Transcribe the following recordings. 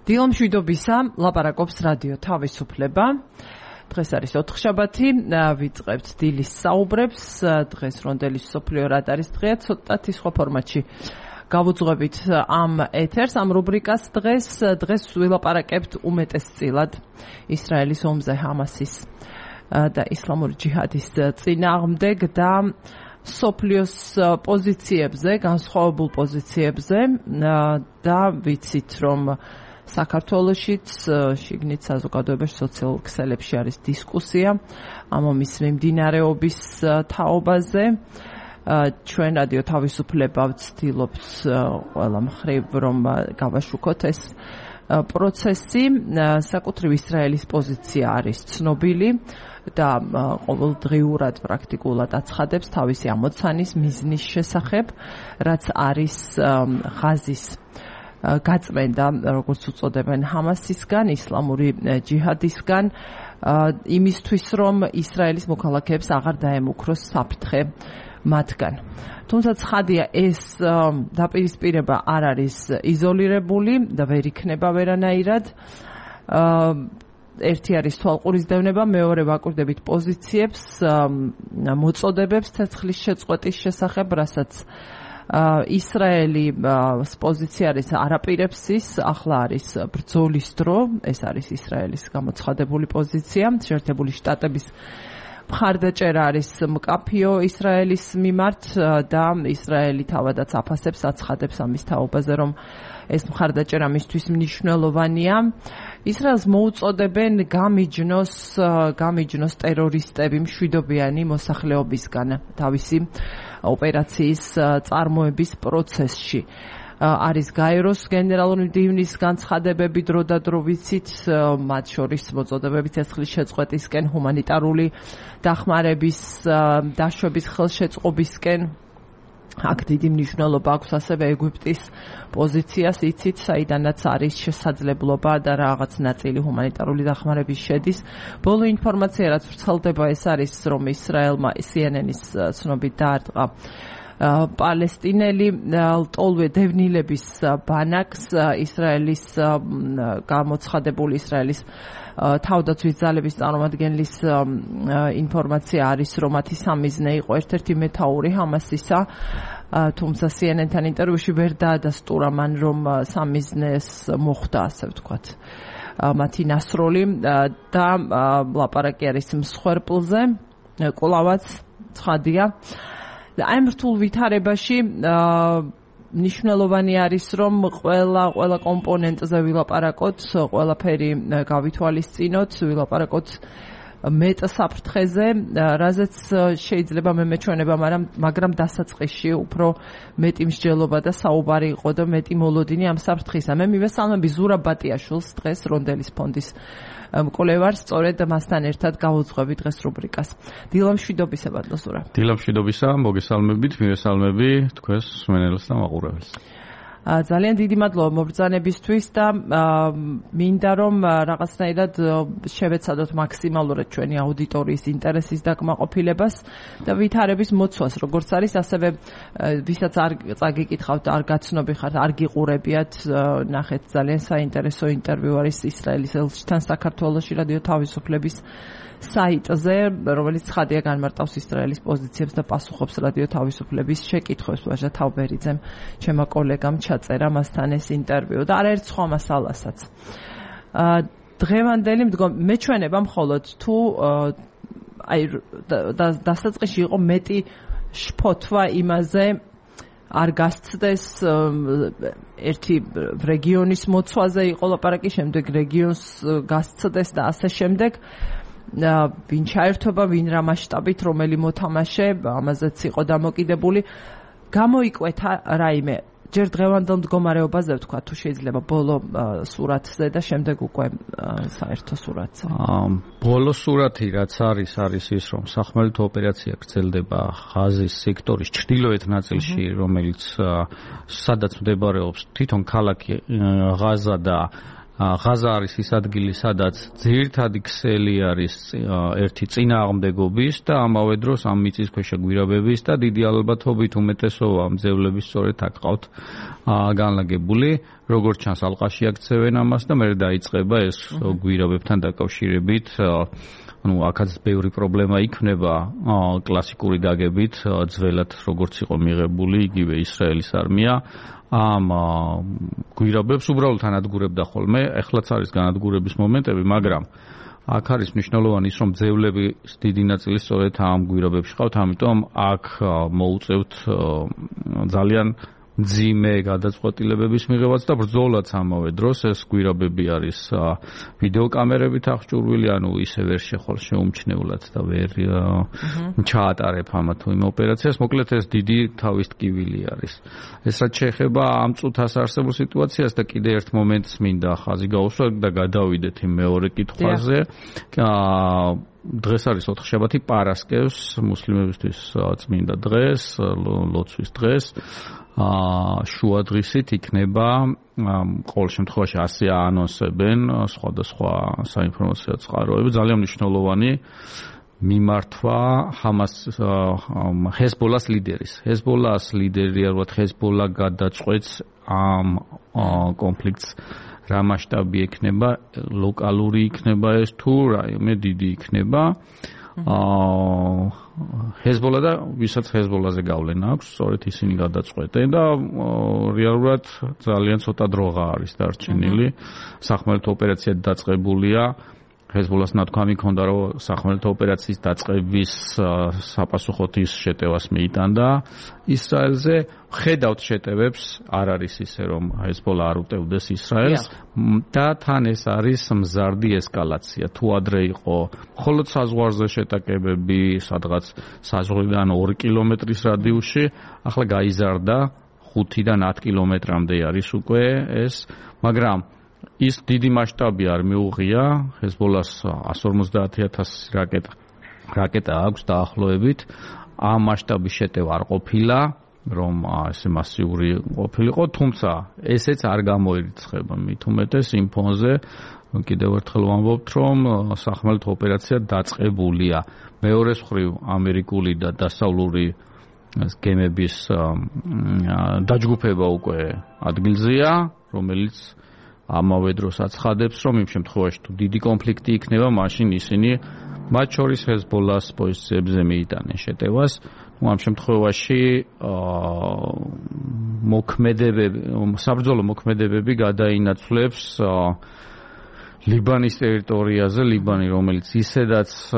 დილომშვიდობისა, ლაპარაკობს რადიო თავისუფლება. დღეს არის ოთხშაბათი, ვიწყებთ დილის საუბრებს. დღეს რონდელის მსოფლიო რადარის დღეა, ცოტათი სხვა ფორმატში გავუძღვებით ამ ეთერს, ამ რუბრიკას დღეს ვილაპარაკებთ უმეტესწილად ისრაელის ომზე, ჰამასის და ისლამური ჯიჰადის წინააღმდეგ და სოფლიოს პოზიციებზე, განსხვავებულ პოზიციებზე და ვიცით, რომ საქართველოშიც შიგნით საზოგადოებაში სოციალურ ქსელებში არის დისკუსია ამ ომის მიმდინარეობის თაობაზე. ჩვენ რადიო თავისუფლება ვცდილობთ ყველა მხრივ რომ გავაშუქოთ ეს პროცესი. საკუთრივ ისრაელის პოზიცია არის ცნობილი და ყოველდღიურად პრაქტიკულად აცხადებს თავისი ამოცანის მიზნის შესახებ, რაც არის ღაზის გაწმენდა, როგორც უწოდებენ, ჰამასისგან, ისლამური ჯიჰადისგან, იმისთვის, რომ ისრაელის მოქალაქეებს აღარ დაემუქროს საფრთხე მათგან. თუმცა ცხადია, ეს დაპირისპირება არ არის იზოლირებული და ვერ იქნება ვერანაირად. ერთი არის თვალყურისდევნება, მეორე ვაკვირდებით პოზიციებს, მოწოდებებს ცეცხლის შეწყვეტის შესახებ, რასაც ისრაელი პოზიცია არის არაპირებს ის, ახლა არის ბრძოლის დრო, ეს არის ისრაელის გამოცხადებული პოზიცია, შეერთებული შტატების მხარდაჭერა არის მკაფიო ისრაელის მიმართ და ისრაელი თავადაც აფასებს, აცხადებს ამის თაობაზე, რომ ეს მხარდაჭერა მისთვის მნიშვნელოვანია. ისრაელს მოუწოდებენ გამიჯნოს ტერორისტები მშვიდობიანი მოსახლეობისგან თავისი ოპერაციის წარმოების პროცესში. არის გაეროს გენერალური მდივნის განცხადებები დრო და დრო ვიცით, მათ შორის მოწოდებები ცეცხლის შეწყვეტისკენ, ჰუმანიტარული დახმარების დაშვების ხელშეწყობისკენ. აქ დიდი მნიშვნელობა აქვს ასევე ეგვიპტის პოზიციას, იცით, საიდანაც არის შესაძლებლობა და რაღაც ნაწილი ჰუმანიტარული დახმარების შედის. ბოლო ინფორმაცია, რაც ვრცელდება, ეს არის, რომ ისრაელმა CNN-ის ცნობით დაარტყა პალესტინელი ლტოლვე დევნილების ბანაკს. ისრაელის გამოცხადებული ისრაელის თავდაცვის ძალების წარმომადგენლის ინფორმაცია არის, რომ მათი სამიზნე იყო ერთ-ერთი მეთაური ჰამასისა, თუმცა CNN-თან ინტერვიუში ვერ დაადასტურა მან, რომ სამიზნეს მოხვდა, ასე ვთქვათ, მათი ნასროლი და ლაპარაკი არის მსხვერპლზე. კვლავაც ცხადია. აი ამ რთულ ვითარებაში მნიშვნელოვანი არის, რომ ყველა კომპონენტზე ვილაპარაკოთ, ყველაფერი გავითვალისწინოთ, ვილაპარაკოთ მეტ საფრთხეზე, რაზეც შეიძლება მეჩვენება, მაგრამ დასაწყისში უფრო მეტი მსჯელობა და საუბარი იყო და მეტი მოლოდინი ამ საფრთხისა. მე მივესალმები ზურაბ ბატიაშვილს, დღეს რონდელის ფონდის მკვლევარს, სწორედ მასთან ერთად გავუძღვები დღეს რუბრიკას. დილამშვიდობისა, ბატონო ზურაბ. დილამშვიდობისა, მოგესალმებით, მივესალმები თქვენს მსმენელს და მაყურებელს. ძალიან დიდი მადლობა მობრძანებისთვის და მინდა რომ რაღაცნაირად შევეცადოთ მაქსიმალურად ჩვენი აუდიტორიის ინტერესის დაკმაყოფილებას და ვითარების მოცვას, როგორც არის, ასევე ვისაც არ წაგიკითხავთ, არ გაცნობი ხართ, არ გიყურებიათ, ნახეთ, ძალიან საინტერესო ინტერვიუ არის ისრაელის ელჩთან საქართველოში რადიო თავისუფლების საიტზე, რომელიც ცხადია განმარტავს ისრაელის პოზიციებს და პასუხობს რადიო თავისუფლების შეკითხვებს. ვაჟა თავბერიძემ, ჩემო კოლეგამ ჩაწერა მასთან ეს ინტერვიუ და არაერთ სხვა მასალასაც. დღევანდელი მეჩვენება მხოლოდ თუ აი დასაწყისში იყო მეტი შფოთვა იმაზე, არ გასცდეს ერთი რეგიონის მოცვაზე იყო ლაპარაკი, შემდეგ რეგიონს გასცდეს და ასე შემდეგ. ვინ ჩაერთობა, ვინ რა მასშტაბით, რომელი მოთამაშე, ამაზეც იყო დამოკიდებული. გამოიკვეთა რაიმე ჯერ დღევანდელ მდგომარეობაზე ვთქვა, თუ შეიძლება ბოლო სურათზე და შემდეგ უკვე საერთო სურათზე. ბოლო სურათი რაც არის ის, რომ სახმელეთო ოპერაცია გრძელდება ღაზის სექტორის ჩრდილოეთ ნაწილში, რომელიც სადაც მდებარეობს თვითონ ქალაქი ღაზა და ღაზა არის ის ადგილი, სადაც ძირითადი ქსელი არის ერთი წინააღმდეგობის და ამავე დროს ამ მიწისქვეშა გვირაბების და დიდი ალბათობით უმეტესობა მძევლების სწორედ აქ ყავთ განლაგებული. როგორც ჩანს, ალყაში აქცევენ ამას და მერე დაიწყება ეს გვირაბებთან დაკავშირებით აქაც ბევრი პრობლემა იქნება კლასიკური დაგებით, ძველად როგორც იყო მიღებული იგივე ისრაელის არმია ამ გვირაბებს უბრალოდ ანადგურებდა ხოლმე, ეხლაც არის განადგურების მომენტები, მაგრამ აქ არის მნიშვნელოვანი ის, რომ ძევლების დიდი ნაწილი სწორედ ამ გვირაბებში ყავთ, ამიტომ აქ მოუწევთ ძალიან მძიმე გადაწყვეტილებების მიღებაც და ბრძოლაც ამავე დროს ეს გვირაბები არის ვიდეოკამერებით აღჭურვილი, ანუ ისე ვერ შეხვალ შეუმჩნევლად და ვერ ჩაატარებ ამა თუ იმ ოპერაციას. მოკლედ ეს დიდი თავის ტკივილი არის. ეს რაც შეეხება ამ წუთას არსებულ სიტუაციას და კიდე ერთ მომენტს მინდა ხაზი გაუსვა და გადავიდეთ იმ მეორე კითხვაზე. დღეს არის ოთხშაბათი, პარასკევს, მუსლიმებისთვის წმინდა დღეს, ლოცვის დღეს. შუადღისით იქნება ყოველ შემთხვევაში ასე აანონსებენ სხვადასხვა საინფორმაციო წყაროები, ძალიან მნიშვნელოვანი მიმართვა ჰეზბოლას ლიდერის. ჰეზბოლას ლიდერი არ ვთქვათ, ჰეზბოლა გადაწყვეტს ამ კონფლიქტს რა მასშტაბი იქნება, ლოკალური იქნება ეს თუ რაიმე დიდი იქნება. ჰეზბოლა და ვისაც ჰეზბოლაზე გავლენა აქვს, სწორედ ისინი გადაწყვეტენ და რეალურად ძალიან ცოტა დროღა არის დარჩენილი. სახმელეთო ოპერაცია დაწყებულია. ჰეზბოლას ნათქვამი ჰქონდა, რომ სახმელეთო ოპერაციის დაწყების საპასუხოდ ის შეტევას მიიტანდა ისრაელზე. ხედავთ შეტევებს, არ არის ისე, რომ ჰეზბოლა არ უტევდეს ისრაელს და თან ეს არის მზარდი ესკალაცია. თუ ადრე იყო მხოლოდ საზღვარზე შეტაკებები, სადღაც საზღვრიდან 2 კილომეტრის რადიუსში, ახლა გაიზარდა 5-დან 10 კილომეტრამდე არის უკვე ეს, მაგრამ ის დიდი მასშტაბი არ მიუღია. ჰეზბოლას 150,000 რაკეტა აქვს დაახლოებით. ამ მასშტაბის შეტევა არ ყოფილა, რომ ესე მასიური ყოფილიყო, თუმცა ესეც არ გამოირიცხება მით უმეტეს იმ ფონზე. კიდევ ერთხელ ვამბობთ, რომ სახმელეთო ოპერაცია დაწყებულია. მეორე მხრივ ამერიკული და დასავლური გემების დაჯგუფება უკვე ადგილზეა, რომელიც ამავე დროს აცხადებს, რომ იმ შემთხვევაში თუ დიდი კონფლიქტი იქნება, მაშინ ისინი მათ შორის ჰეზბოლას პოზიციებზე მიიტანენ შეტევას. ამ შემთხვევაში საბრძოლო მოქმედებები გადაინაცვლებს ლიბანის ტერიტორიაზე, ლიბანი, რომელიც ისედაც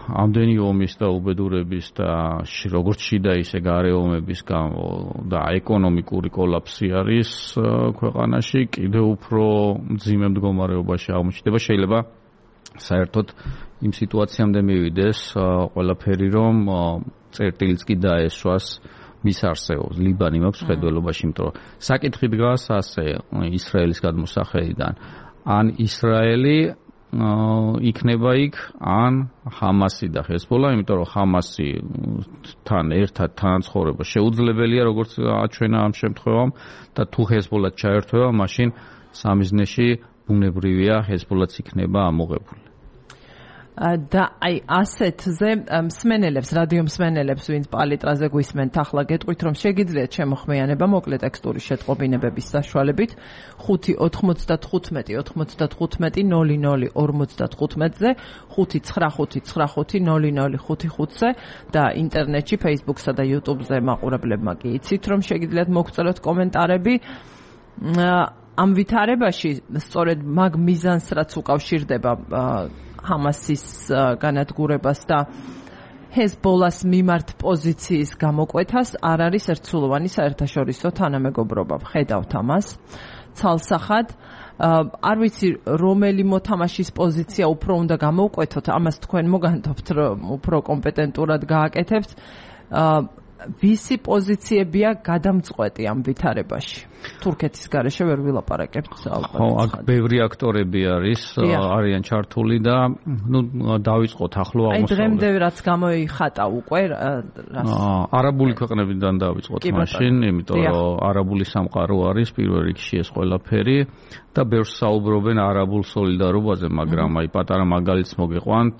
ამდენი ომის და უბედურების და როგორც შიდა ისე გარე ომების გამო და ეკონომიკური კოლაფსი არის ქვეყანაში, კიდევ უფრო მძიმე მდგომარეობაში აღმოჩნდება. შეიძლება საერთოდ იმ სიტუაციამდე მივიდეს ყველაფერი, რომ წერტილიც კი დაესვას მის არსებობს. ლიბანი მაქვს ხედველობაში, იმიტომ რომ საკითხი დგას ასე ისრაელის გადმოსახედიდან. ან ისრაელი იქნება იქ, ან ჰამასი და ჰეზბოლა, იმიტომ რომ ჰამასთან ერთად თანაცხოვრება შეუძლებელია, როგორც აჩვენა ამ შემთხვევამ, და თუ ჰეზბოლა ჩაერთვება, მაშინ სამიზნეში ბუნებრივია ჰეზბოლაც იქნება ამოღებული. და აი ასეთზე მსმენელებს, რადიო მსმენელებს, ვინც პალიტრაზე გვისმენთ, ახლა გეტყვით, რომ შეგიძლიათ შემოხმიანება მოკლე ტექსტური შეტყობინებების საშუალებით 5-95-95-00-55-ზე, 595-95-00-55-ზე და ინტერნეტში, Facebook-სა და YouTube-ზე მაყურებლებმა კი იცით, რომ შეგიძლიათ მოგწეროთ კომენტარები. ამ ვითარებაში სწორედ მაგ მიზანს, რაც უკავშირდება ჰამასის განადგურებას და ჰეზბოლას მიმართ პოზიციის გამოკვეთას, არ არის ერთსულოვანი საერთაშორისო თანამეგობრობა. ხედავთ ამას ცალსახად. არ ვიცი, რომელი მოთამაშის პოზიცია უფრო უნდა გამოვკვეთოთ, ამას თქვენ მოგანთობთ, რომ უფრო კომპეტენტურად გააკეთებთ. ვისი პოზიციებია გადამწყვეტი ამ ვითარებაში? თურქეთის გარეშე ვერ ვილაპარაკებ. ხო, აქ ბევრი აქტორები არიან ჩართული და დავიწყოთ ახლო აღმოსავლეთ. აი დღემდე რაც გამოიხატა უკვე არაბული ქვეყნებიდან დავიწყოთ მაშინ, იმიტომ რომ არაბული სამყარო არის პირველ რიგში ეს ყველაფერი და ბევრს საუბრობენ არაბულ სოლიდარობაზე, მაგრამ აი პატარა მაგალითს მოგეყვანთ,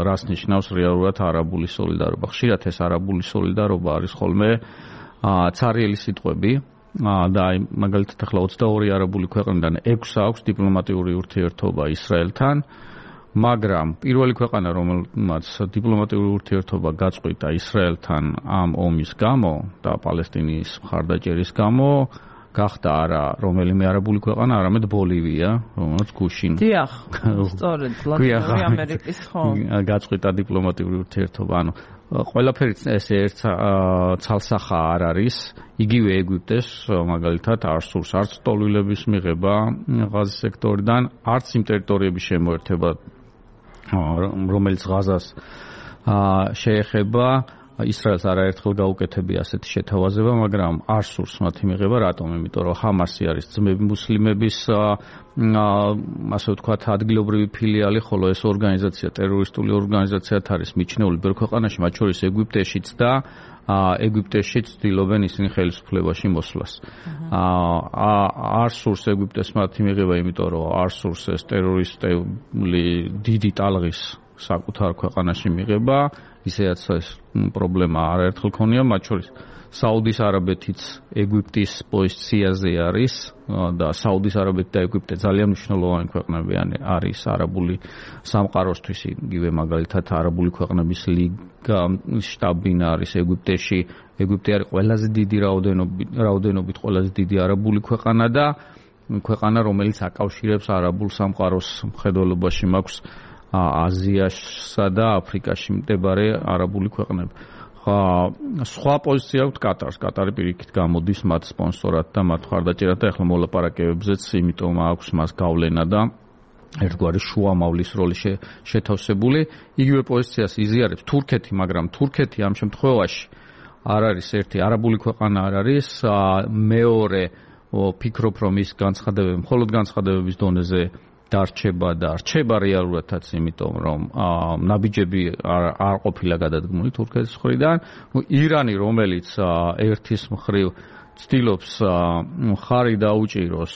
რას ნიშნავს რეალურად არაბული სოლიდარობა. ხშირად ეს არაბული სოლიდარობა არის ხოლმე ცარიელი სიტყვები და აი მაგალითად ახლა 22 არაბული ქვეყნიდან 6 აქვს დიპლომატიური ურთიერთობა ისრაელთან, მაგრამ პირველი ქვეყანა რომელმაც დიპლომატიური ურთიერთობა გაწყვიტა ისრაელთან ამ ომის გამო და პალესტინის მხარდაჭერის გამო გახდა არა რომელიმე არაბული ქვეყანა, არამედ ბოლივია, რომელიც გუშინ. დიახ, სწორედ, ლათინური ამერიკის ხო. გაწყვიტა დიპლომატიური ურთიერთობა, ანუ ყველაფერი ესე ერთ ცალსახა არ არის. იგივე ეგვიპტეს მაგალითად არ სურს არც ტოლვილების მიღება ღაზის სექტორიდან, არც იმ ტერიტორიების შემოერთება, რომელიც ღაზას შეეხება. ისრაელს არაერთხელ გაუკეთებია ასეთი შეთავაზება, მაგრამ არ სურს მათი მიღება. რატომ? იმიტომ რომ ჰამასი არის ძმები მუსლიმების ასე ვთქვათ ადგილობრივი ფილიალი, ხოლო ეს ორგანიზაცია ტერორისტული ორგანიზაციად არის მიჩნეული ბევრ ქვეყანაში, მათ შორის ეგვიპტეშიც და ეგვიპტეშიც ცდილობენ ისინი ხელისუფლებაში მოსვლას. არ სურს ეგვიპტეს მათი მიღება, იმიტომ რომ არ სურს ეს ტერორისტული დიდი ტალღის საკუთარ ქვეყანაში მიღება. ისედაც ეს პრობლემა არაერთხელ ქონია, მათ შორის საუდის არაბეთიც ეგვიპტის პოზიციაზე არის და საუდის არაბეთი და ეგვიპტე ძალიან მნიშვნელოვანი ქვეყნები არის არაბული სამყაროსთვის. იგივე მაგალითად არაბული ქვეყნების ლიგა შტაბ-ბინა არის ეგვიპტეში. ეგვიპტე არის ყველაზე დიდი რაოდენობით ყველაზე დიდი არაბული ქვეყანა და ქვეყანა, რომელიც აკავშირებს არაბულ სამყაროს მხედველობაში მაქვს აზიასა და აფრიკაში მდებარე არაბული ქვეყნები. სხვა პოზიცია აქვს კატარს. კატარი პირიქით გამოდის მათ სპონსორად და მათ მხარდაჭერად და ახლა მოლაპარაკებებზეც, იმიტომ აქვს მას გავლენა და ერთგვარი შუამავლის როლი შეთავსებული. იგივე პოზიციას იზიარებს თურქეთი, მაგრამ თურქეთი ამ შემთხვევაში არ არის ერთი არაბული ქვეყანა არ არის, მეორე ფიქრობ რომ ის განცხადებები მხოლოდ განცხადებების დონეზე დარჩება და რჩება რეალურადაც, იმიტომ რომ ნაბიჯები არ ყოფილა გადადგმული თურქეთის მხრიდან. ირანი, რომელიც ერთის მხრივ ცდილობს მხარი დაუჭიროს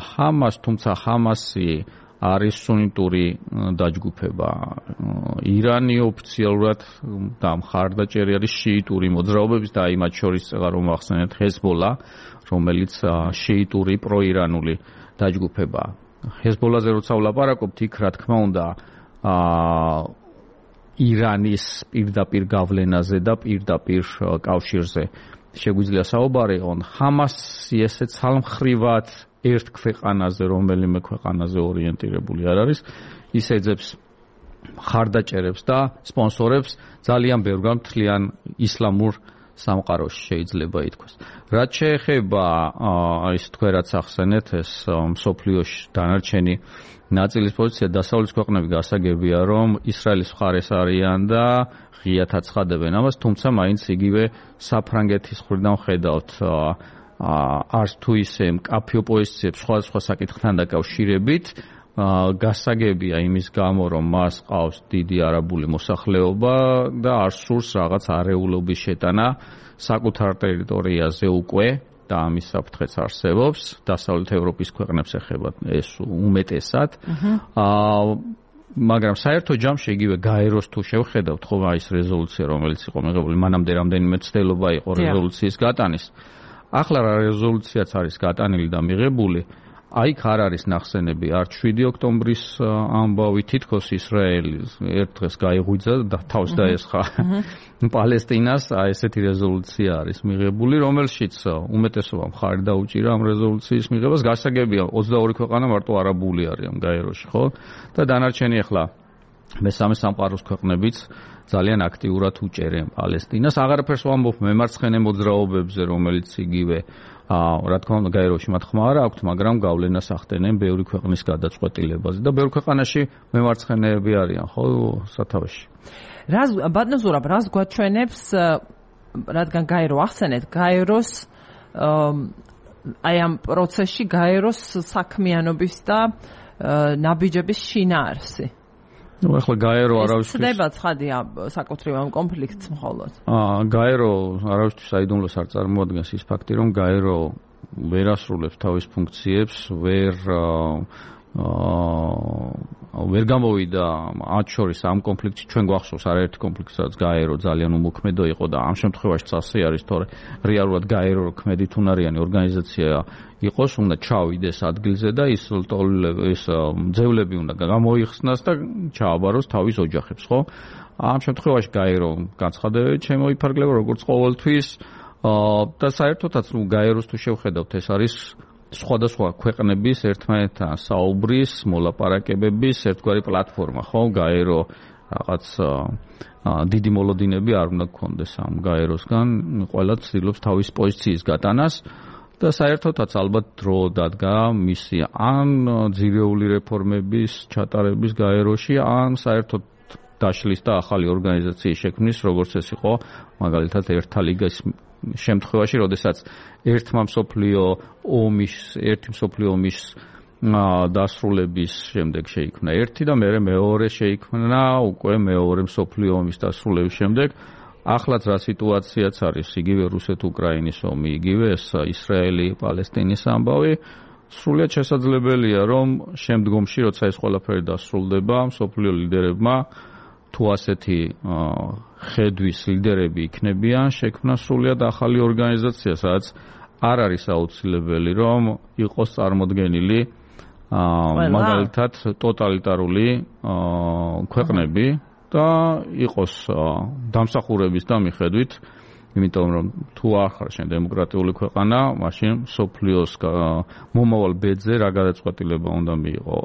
ჰამას, თუმცა ჰამასი არის სუნიტური დაჯგუფება. ირანი ოფიციალურად და მხარდაჭერი არის შიიტური მოძრაობების და მათ შორის რომ ახსენეთ ჰეზბოლა, რომელიც შიიტური პროირანული დაჯგუფებაა. ჰეზბოლაზე როცა ვლაპარაკობთ, იქ რა თქმა უნდა ირანის პირდაპირ გავლენაზე და პირდაპირ კავშირზე შეგვიძლია საუბარი იყონ. ჰამასი ესე ცალმხრივად ერთ ქვეყანაზე, რომელიმე ქვეყანაზე ორიენტირებული არ არის, ის ეძებს მხარდაჭერებს და სპონსორებს ძალიან ბევრ მთლიან ისლამურ სამყაროში შეიძლება ითქვას. რაც შეეხება ის თქვენ რაც ახსენეთ, ეს მსოფლიოში დანარჩენი ნაწილის პოზიცია, დასავლეთის ქვეყნები გასაგებია, რომ ისრაელის მხარეს არიან და ღიად აცხადებენ ამას, თუმცა მაინც იგივე საფრანგეთის მხრიდან ხედავთ არც თუ ისე მკაფიო პოზიციებს სხვადასხვა საკითხთან დაკავშირებით. გასაგებია იმის გამო, რომ მას ყავს დიდი არაბული მოსახლეობა და არ სურს რაღაც არეულობის შეტანა საკუთარ ტერიტორიაზე უკვე და ამის საფრთხეც არსებობს. დასავლეთ ევროპის ქვეყნებს ეხება ეს უმეტესად. მაგრამ საერთო ჯამში იგივე გაეროს თუ შევხედავთ, ხო ის რეზოლუცია, რომელიც იყო მიღებული, მანამდე რამდენიმე ცდელობა იყო რეზოლუციის გატანის. ახლა რა რეზოლუციაც არის გატანილი და მიღებული, აიქ არ არის ნახსენები არც 7 ოქტომბრის ამბავი, თითქოს ისრაელი ერთ დღეს გაიღვიძა და თავს დაესხა პალესტინას, ესეთი რეზოლუცია არის მიღებული, რომელშიც უმეტესობა მხარი დაუჭირა ამ რეზოლუციის მიღებას. გასაგებია 22 ქვეყანა მარტო არაბული არიან გაეროში, ხო? და დანარჩენი ახლა მესამე სამყაროს ქვეყნებიც ძალიან აქტიურად უჭერენ პალესტინას. აღარაფერს ვამბობ მემარცხენე მოძრაობებზე, რომელიც იგივე რა თქმა უნდა გაეროში მათ ხმა არ აქვთ, მაგრამ გავლენას ახდენენ ბევრი ქვეყნის გადაწყვეტილებაზე და ბევრ ქვეყანაში მემარცხენეები არიან, ხო, სათავეში. ბატონო ზურაბ, რას გვაჩვენებს რადგან გაერო ახსენეთ, გაეროს აი ამ პროცესში გაეროს საქმიანობის და ნაბიჯების შინაარსი. ნუ ახლა გაერო არავისთვის ხდება ცხადია საკუთრივ ამ კონფლიქტს მხოლოდ. გაერო არავისთვის აიდუმლოს არ წარმოადგენს ის ფაქტი, რომ გაერო ვერ ასრულებს თავის ფუნქციებს, ვერ გამოვიდა მათ შორის ამ კონფლიქტში. ჩვენ გვახსოვს არაერთი კონფლიქტი, სადაც გაერო ძალიან უმოქმედო იყო და ამ შემთხვევაში წასი არის, თორე რეალურად გაერო ქმედითუნარიანი ორგანიზაცია იყოს, უნდა ჩავიდეს ადგილზე და ის ძევლები უნდა გამოიხსნას და ჩააბაროს თავის ოჯახებს, ხო? ამ შემთხვევაში გაერო განცხადებები შემოიფარგლება როგორც ყოველთვის და საერთოდაც გაეროს თუ შევხედავთ, ეს არის სხვადასხვა ქვეყნების ერთმანეთთან საუბრის, მოლაპარაკებების ერთგვარი პლატფორმა, ხო? გაერო რაღაც დიდი მოლოდინები არ უნდა გქონდეს ამ გაეროსგან, ყველა ცდილობს თავის პოზიციის გატანას და საერთოდაც ალბათ დრო დადგა მისი ან ძირეული რეფორმების ჩატარების გაეროში, ან საერთოდ დაშლის და ახალი ორგანიზაციის შექმნის, როგორც ეს იყო მაგალითად ერთა ლიგის შემთხვევაში, როდესაც ერთი მსოფლიო ომის დასრულების შემდეგ შეიქმნა ერთი და მერე მეორე შეიქმნა უკვე მეორე მსოფლიო ომის დასრულების შემდეგ. ახლაც რა სიტუაციაც არის, იგივე რუსეთ-უკრაინის ომი, იგივე ეს ისრაელი-პალესტინის ამბავი, სრულიად შესაძლებელია, რომ შემდგომში, როცა ეს ყველაფერი დასრულდება, მსოფლიო ლიდერებმა თუ ასეთი ხედვის ლიდერები იქნებიან, შექმნა სრულიად ახალი ორგანიზაცია, სადაც არ არის აუცილებელი, რომ იყოს წარმოდგენილი მაგალითად ტოტალიტარული ქვეყნები და იყოს დამსახურების და მიხედვით, იმიტომ რომ თუ არ ხარ შენ დემოკრატიული ქვეყანა, მაშინ მსოფლიოს მომავალ ბედზე რა გადაწყვეტილება უნდა მიიღო.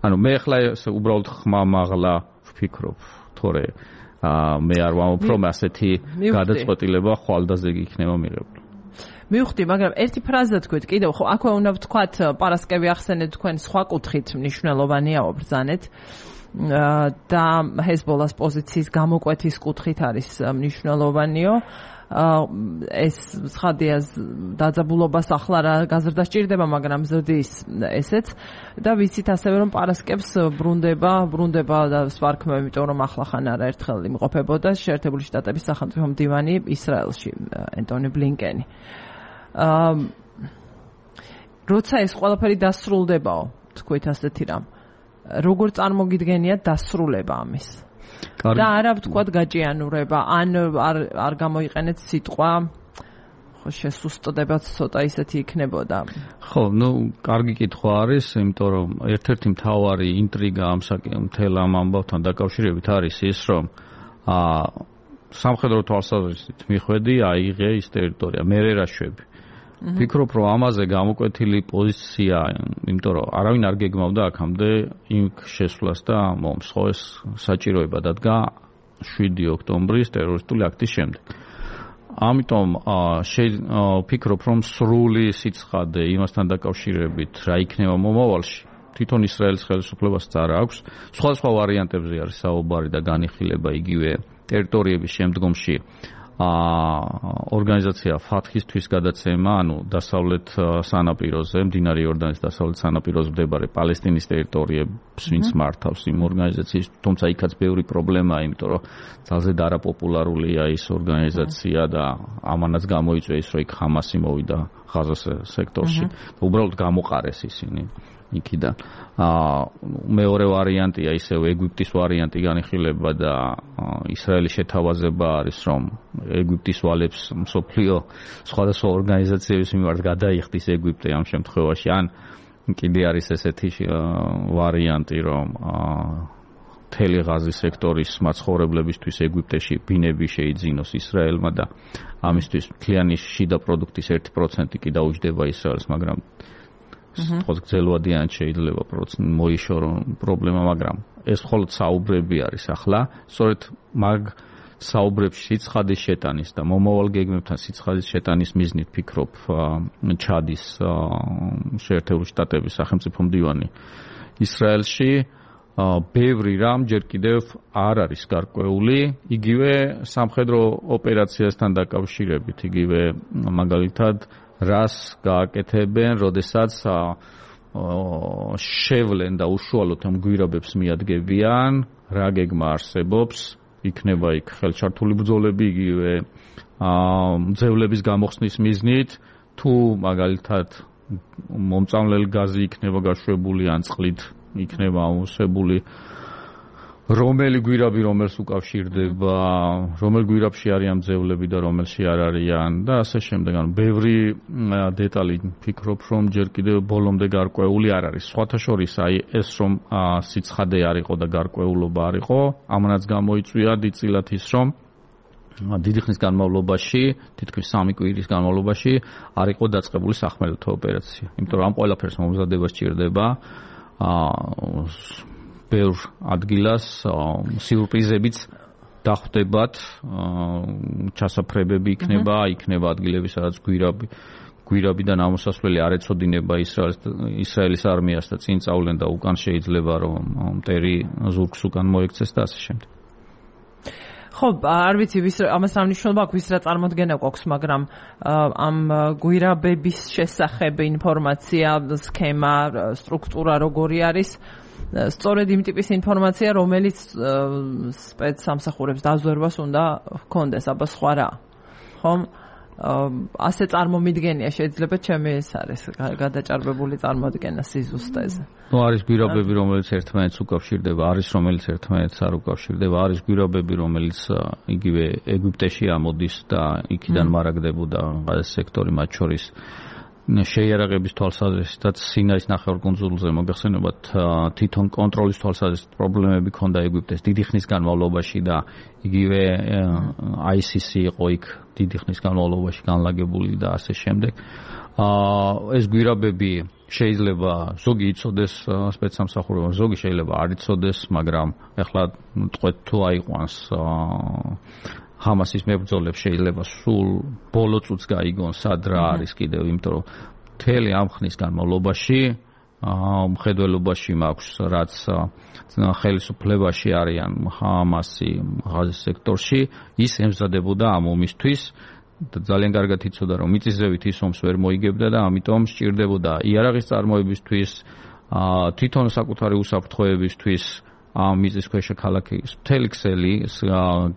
ანუ მე ახლა უბრალოდ ხმამაღლა ვფიქრობ, თორე მე არ ვამბობ, რომ ასეთი გადაწყვეტილება ხვალდაზე იქნება მიღებული. მივხვდი, მაგრამ ერთი ფრაზა თქვით, კიდევ ხო აქვე უნდა ვთქვათ, პარასკევი ახსენეთ თქვენ სხვა კუთხით მნიშვნელოვანია ვბრძანეთ და ჰეზბოლას პოზიციის გამოკვეთის კუთხით არის მნიშვნელოვანიო. ეს ცხადია დაძაბულობას ახლა რა გაზრდა სჭირდება, მაგრამ ზრდის ესეც და ვიცით ასევე რომ პარასკევს ბრუნდება და სვარქმევ, იმიტომ რომ ახლა ხან არაერთხელ იმყოფებოდა შეერთებული შტატების სახელმწიფო მდივანი ისრაელში ენტონი ბლინკენი. როცა ეს ყველაფერი დასრულდებაო, თქვით ასეთი რამ, როგორ წარმოგიდგენიათ დასრულება ამის? და არა ვთქვათ გაჭიანურება, ან არ გამოიყენეთ სიტყვა, ხო შესუსტდებაც ცოტა ისეთი იქნებოდა. ხო, კარგი კითხვა არის, იმიტომ რომ ერთ-ერთი მთავარი ინტრიგა ამ მთელ ამ ამბავთან დაკავშირებით არის ის, რომ სამხედრო თვალსაზრისით მიხვედი აიღე ის ტერიტორია, მერე რა შვები. ვფიქრობ, რომ ამაზე გამოკვეთილი პოზიცია, იმიტომ რომ არავინ არ გეგმავდა აქამდე იმ შესვლას და მომს, ხო, ეს საჭიროება დადგა 7 ოქტომბრის ტერორისტული აქტის შემდეგ. ამიტომ ვფიქრობ, რომ სრული სიცხადე იმასთან დაკავშირებით რა იქნება მომავალში, თვითონ ისრაელის ხელისუფლებას არ აქვს. სხვადასხვა ვარიანტებზე არის საუბარი და განიხილება იგივე ტერიტორიების შემდგომში ორგანიზაცია ფათხისთვის გადაცემა, ანუ დასავლეთ სანაპიროზე, მდინარე იორდანის დასავლეთ სანაპიროზე მდებარე პალესტინის ტერიტორიებს ვინც მართავს იმ ორგანიზაციის, თუმცა იქაც ბევრი პრობლემაა, იმიტომ რომ ძალზედ არაპოპულარულია ის ორგანიზაცია და ამანაც გამოიწვია ის, რომ იქ ხამასი მოვიდა ღაზას სექტორში. უბრალოდ გამოყარეს ისინი იქიდან. მეორე ვარიანტია ისევ ეგვიპტის ვარიანტი განიხილება და ისრაელის შეთავაზება არის, რომ ეგვიპტის ვალებს მსოფლიო სხვადასხვა ორგანიზაციების მიმართ გადაიხდის ეგვიპტე ამ შემთხვევაში, ან კიდე არის ესეთი ვარიანტი, რომ მთელი ღაზის სექტორის მაცხოვრებლებისთვის ეგვიპტეში ბინები შეიძინოს ისრაელმა და ამისთვის მთლიანი შიდა პროდუქტის 1% კი დაუჯდება ისრაელს, მაგრამ თქოს გრძელვადიანად შეიძლება მოიშორო პრობლემა, მაგრამ ეს მხოლოდ საუბრები არის ახლა. სწორედ მაგ საუბრებში სიცხადის შეტანის და მომავალ გეგმებთან სიცხადის შეტანის მიზნით ფიქრობ, ჩადის შეერთებული შტატების სახელმწიფო მდივანი ისრაელში ბევრი რამ ჯერ კიდევ არ არის გარკვეული, იგივე სამხედრო ოპერაციასთან დაკავშირებით, იგივე მაგალითად რას გააკეთებენ, როდესაც შევლენ და უშუალოდ ამ გვირაბებს მიადგებიან, რა გეგმა არსებობს, იქნება იქ ხელჩართული ბრძოლები, იგივე მძევლების გამოხსნის მიზნით, თუ მაგალითად მომწამლელი გაზი იქნება გაშვებული ან წყლით იქნება ამოსებული, რომელი გვირაბი რომელს უკავშირდება, რომელ გვირაბში არიან მძევლები და რომელში არ არიან და ასე შემდეგ. ანუ ბევრი დეტალი ფიქრობ, რომ ჯერ კიდევ ბოლომდე გარკვეული არ არის. სხვათა შორის აი ეს რომ სიცხადე არ იყო და გარკვეულობა არ იყო, ამანაც გამოიწვია დიდწილად ის, რომ დიდი ხნის განმავლობაში, თითქმის 3 კვირის განმავლობაში არ იყო დაწყებული სახმელეთო ოპერაცია. იმიტომ რომ ამ ყველაფერს მომზადება სჭირდება ბევრ ადგილას სიურპრიზებიც დახვდებათ, ჩასაფრებები იქნება ადგილები, სადაც გვირაბიდან ამოსასვლელი არ ეცოდინება ისრაელის არმიას და წინ წავლენ და უკან შეიძლება რომ მტერი ზურგს უკან მოექცეს და ასე შემდეგ. ხო, არ ვიცი ამას რა მნიშვნელობა აქვს, ვის რა წარმოდგენა გვაქვს, მაგრამ ამ გვირაბების შესახებ ინფორმაცია, სქემა, სტრუქტურა როგორი არის, სწორედ იმ ტიპის ინფორმაცია, რომელიც სპეცსამსახურებს დაზვერვას უნდა ჰქონდეს, აბა სხვა რა. ხომ? ასე წარმომიდგენია შეიძლება ჩემი ეს არის გადაჭარბებული წარმოდგენა სიზუსტეზე. ნუ არის გვირაბები, რომელიც ერთმანეთს უკავშირდება, არის რომელიც ერთმანეთს არ უკავშირდება, არის გვირაბები, რომელიც იგივე ეგვიპტეში ამოდის და იქიდან მარაგდებოდა ეს სექტორი მათ შორის შეიარაღების თვალსაზრისითაც სინაის ნახევარკუნძულზე მოგეხსენებათ თვითონ კონტროლის თვალსაზრისით პრობლემები ჰქონდა ეგვიპტეს დიდი ხნის განმავლობაში და იგივე ICC იყო იქ დიდი ხნის განმავლობაში განლაგებული და ასე შემდეგ. ეს გვირაბები შეიძლება ზოგი იცოდეს სპეცსამსახურებამ, ზოგი შეიძლება არ იცოდეს, მაგრამ ეხლა თქვენ თუ აიყვანს ჰამასის მებრძოლებს შეიძლება სულ ბოლო წუთს გაიგონ სად რა არის კიდევ, იმიტომ რომ მთელი ამ ხნის განმავლობაში მხედველობაში მაქვს, რაც ხელისუფლებაში არიან ჰამასი ღაზის სექტორში, ის ემზადებოდა ამ ომისთვის და ძალიან კარგად იცოდა რომ მიწისძევით ის ომს ვერ მოიგებდა და ამიტომ სჭირდებოდა იარაღის წარმოებისთვის, თვითონ საკუთარი უსაფრთხოებისთვის ამ მიწისქვეშა ქალაქის მთელი ქსელი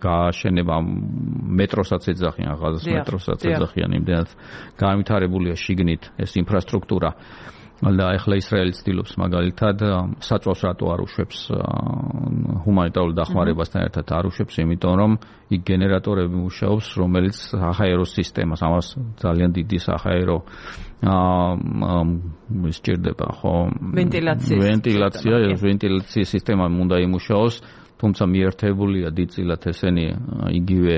გააშენება მეტროსაც ეძახიან, ღაზას მეტროსაც ეძახიან, იმდენად განვითარებულია შიგნით ეს ინფრასტრუქტურა. და ახლა ისრაელი ცდილობს მაგალითად საწვავს რატო არ უშვებს ჰუმანიტარულ დახმარებასთან ერთად არ უშვებს, იმიტომ რომ იქ გენერატორები მუშაობს, რომელიც საჰაერო სისტემას, ამას ძალიან დიდი საჰაერო სჭირდება, ხო? ვენტილაციის სისტემა უნდა იმუშაოს, თუმცა მიერთებულია დიდწილად ესენი იგივე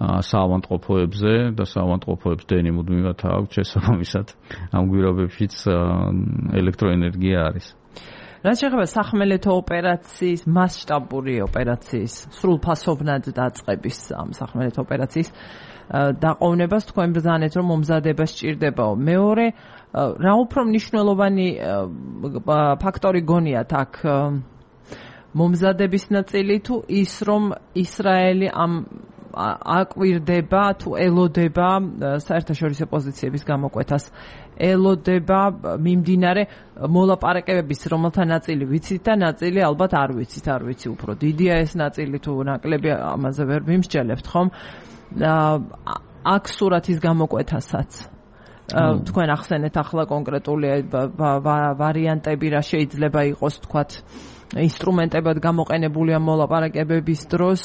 საავადმყოფოებზე და საავადმყოფოებს დენი მუდმივად აქვს შესაბამისად ამ გვირაბებშიც ელექტროენერგია არის. რაც შეეხება სახმელეთო ოპერაციის, მასშტაბური ოპერაციის, სრულფასოვნად დაწყების ამ სახმელეთო ოპერაციის დაყოვნებას თქვენ ბრძანეთ, რომ მომზადება სჭირდებაო. მეორე, რა უფრო მნიშვნელოვანი ფაქტორი გონიათ აქ მომზადების ნაწილი თუ ის, რომ ისრაელი ამ აკვირდება თუ ელოდება საერთაშორისო პოზიციების გამოკვეთას, ელოდება მიმდინარე მოლაპარაკებების, რომელთა ნაწილი ვიცით და ნაწილი ალბათ არ ვიცი უფრო დიდია ეს ნაწილი თუ ნაკლები, ამაზე ვერ მიმსჯელებთ, ხომ? აქ სურათის გამოკვეთასაც თქვენ ახსენეთ ახლა კონკრეტული ვარიანტები რა შეიძლება იყოს, თქვათ ინსტრუმენტებად გამოყენებულია მოლაპარაკებების დროს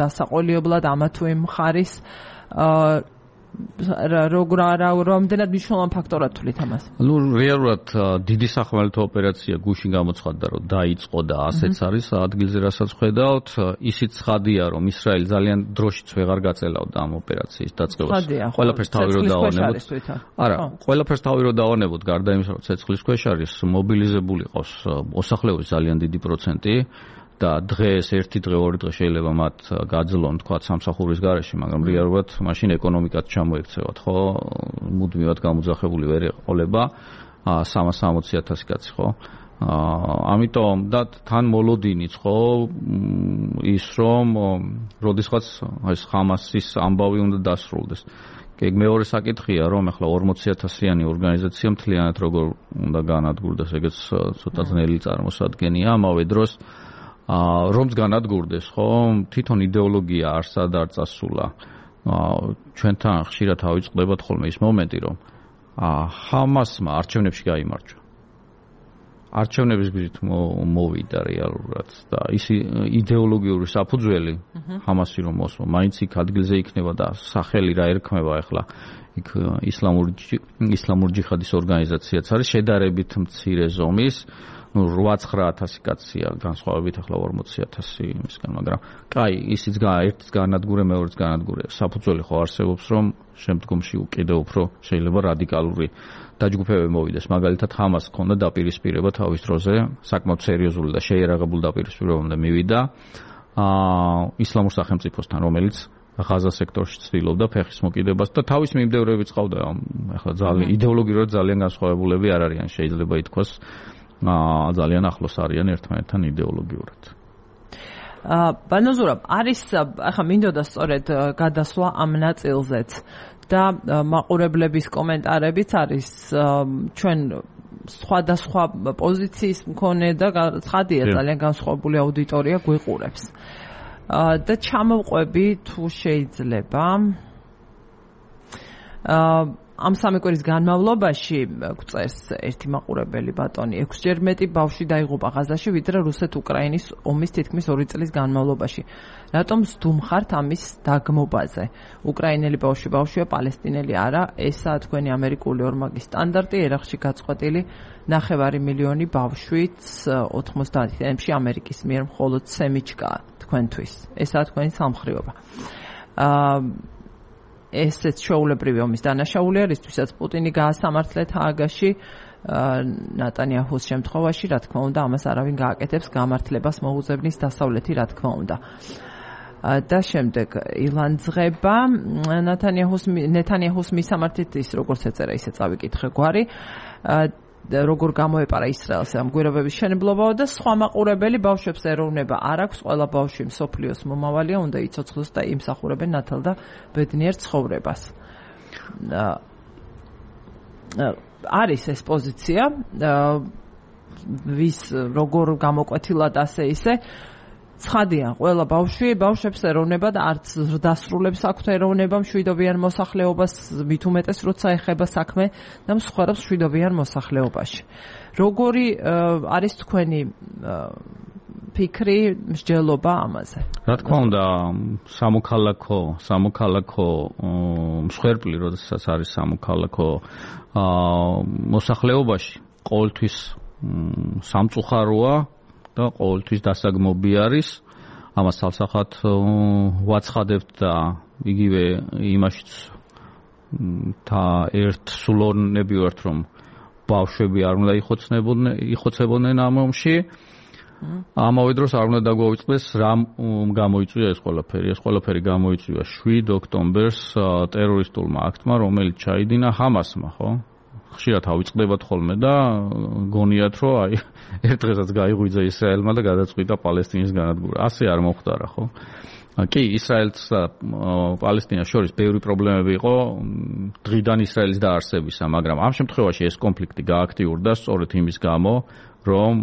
დასაყოლიებლად ამა თუ იმ მხარის რამდენად მნიშვნელოვანი ფაქტორად თვლით ამას? ნუ რეალურად დიდი სახმელეთო ოპერაცია გუშინ გამოცხადდა, რომ დაიწყო და ასეც არის ადგილზე, რასაც ხედავთ. ისიც ცხადია, რომ ისრაელი ძალიან დროშიც ვეღარ გაწელავდა ამ ოპერაციის დაწყებას. ყველაფერს თავი რო დავანებოთ. არა, ყველაფერს თავი რო დავანებოთ, გარდა იმისა, რომ ცეცხლის ქვეშ არის მობილიზებული ყავს მოსახლეობის ძალიან დიდი პროცენტი. და დღეს ერთი დღე ორი დღე შეიძლება მათ გაძლონ თქვა სამსახურის გარეშე, მაგრამ რეალურად მაშინ ეკონომიკაც ჩამოექცევათ, ხო? მუდმივად გამოძახებული ვერ ეყოლება 360,000 კაცი, ხო? ამიტომ და თან მოლოდინიც ხო ის რომ როდესაც ეს ხამასის ამბავი უნდა დასრულდეს. მეორე საკითხია რომ ახლა 40,000-იანი ორგანიზაცია მთლიანად როგორ უნდა განადგურდეს, ეგეც ცოტა ძნელი წარმოსადგენია. ამავე დროს რომც განადგურდეს, ხო, თვითონ იდეოლოგია არსად არ წასულა. ჩვენთან ხშირად ავიწყდებათ ხოლმე ის მომენტი, რომ ჰამასმა არჩევნებში გაიმარჯვა. არჩევნების გზით მოვიდა რეალურად და ის იდეოლოგიური საფუძველი ჰამასი რომ მოსვა, მაინც იქ ადგილზე იქნება და სახელი რა ერქმება ახლა იქ ისლამური ჯიჰადის ორგანიზაციაც არის შედარებით მცირე ზომის, 8-9,000 კაცია განსხვავებით ახლა 40,000 იმისგან, მაგრამ კაი, ისიც ერთის განადგურე, მეორეც განადგურე. საფუძველი ხო არსებობს, რომ შემდგომში კიდევ უფრო შეიძლება რადიკალური დაჯგუფებები მოვიდეს. მაგალითად, ჰამას ჰქონდა დაპირისპირება თავის დროზე, საკმაოდ სერიოზული და შეიარაღებული დაპირისპირებამდე მივიდა ისლამურ სახელმწიფოსთან, რომელიც ღაზა სექტორში ცდილობდა ფეხის მოკიდებას და თავის მიმდევრებიც ყავდა. ახლა ძალიან იდეოლოგიურად ძალიან განსხვავებულები არ არიან, შეიძლება ითქვას. ძალიან ახლოს არიან ერთმანეთთან იდეოლოგიურად. ბანოზურა, არის ახლა მინდოდა სწორედ გადასვლა ამ ნაწილზეც და მაყურებლების კომენტარებიც არის ჩვენ სხვადასხვა პოზიციის მქონე და ცხადია ძალიან განსხვავებული აუდიტორია გვიყურებს. და ჩამოვყვები თუ შეიძლება ამ სამი კვირის განმავლობაში გვწერს ერთი მაყურებელი ბატონი 6-ჯერ მეტი ბავშვი დაიღუპა ღაზაში, ვიდრე რუსეთ-უკრაინის ომის თითქმის 2 წლის განმავლობაში. რატომ სდუმხართ ამის დაგმობაზე? უკრაინელი ბავშვია, პალესტინელი არა. ესაა თქვენი ამერიკული ორმაგი სტანდარტი, ერაყში გაწყვეტილი 9 მილიონი ბავშვით 90 წლებში ამერიკის მიერ მხოლოდ სემიჩკაა თქვენთვის. ესაა თქვენი სამხრივობა. ესეც შეულებრივი ომის დანაშაულია, რისთვისაც პუტინი გაასამართლეთ ჰააგაში, ნატანიაჰუს შემთხვევაში, რა თქმა უნდა, ამას არავინ გააკეთებს, გამართლებას მოუძებნის დასავლეთი, რა თქმა უნდა. და შემდეგ ილანძღება ნეტანიაჰუს მისამართით ის როგორც ეწერა, ისე წავიკითხე გვარი. როგორ გამოეპარა ისრაელს ამ გვირაბების შენებლობაო და სხვა მაყურებელი ბავშვებს ეროვნება არ აქვს, ყველა ბავშვი მსოფლიოს მომავალია, უნდა იცოცხლოს და იმსახურებენ ნათელ და ბედნიერ ცხოვრებას. არის ეს პოზიცია, ვის როგორ გამოკვეთილად ასე ისე ცხადია, ყველა ბავშვებს ეროვნება და არც დასრულებს აქვთ ეროვნება მშვიდობიან მოსახლეობას, მით უმეტეს როცა ეხება საქმე და მსხვერპლს მშვიდობიან მოსახლეობაში. როგორი არის თქვენი ფიქრი, მსჯელობა ამაზე? რა თქმა უნდა, სამოქალაქო მსხვერპლი, როდესაც არის სამოქალაქო მოსახლეობაში, ყოველთვის სამწუხაროა და ყოველთვის დასაგმობი არის. ამას თავსახად ვაცხადებთ და იგივე იმაშიც და ერთ სულოვნები ვართ, რომ ბავშვები არ უნდა იხოცებოდნენ ამ ომში. ამავე დროს არ უნდა დაგვაუწყდეს რა გამოიწვია ეს ყველაფერი. ეს ყველაფერი გამოიწვია 7 ოქტომბერს ტერორისტულმა აქტმა, რომელიც ჩაიდინა ჰამასმა, ხო? ხშირად ავიწყდებათ ხოლმე და გონიათ, რომ აი ერთ დღესაც გაიღვიძა ისრაელმა და გადაწყვიტა პალესტინის განადგურება. ასე არ მოხდარა, ხო? კი, ისრაელს და პალესტინას შორის ბევრი პრობლემები იყო დღიდან ისრაელის დაარსებისა, მაგრამ ამ შემთხვევაში ეს კონფლიქტი გააქტიურდა სწორედ იმის გამო, რომ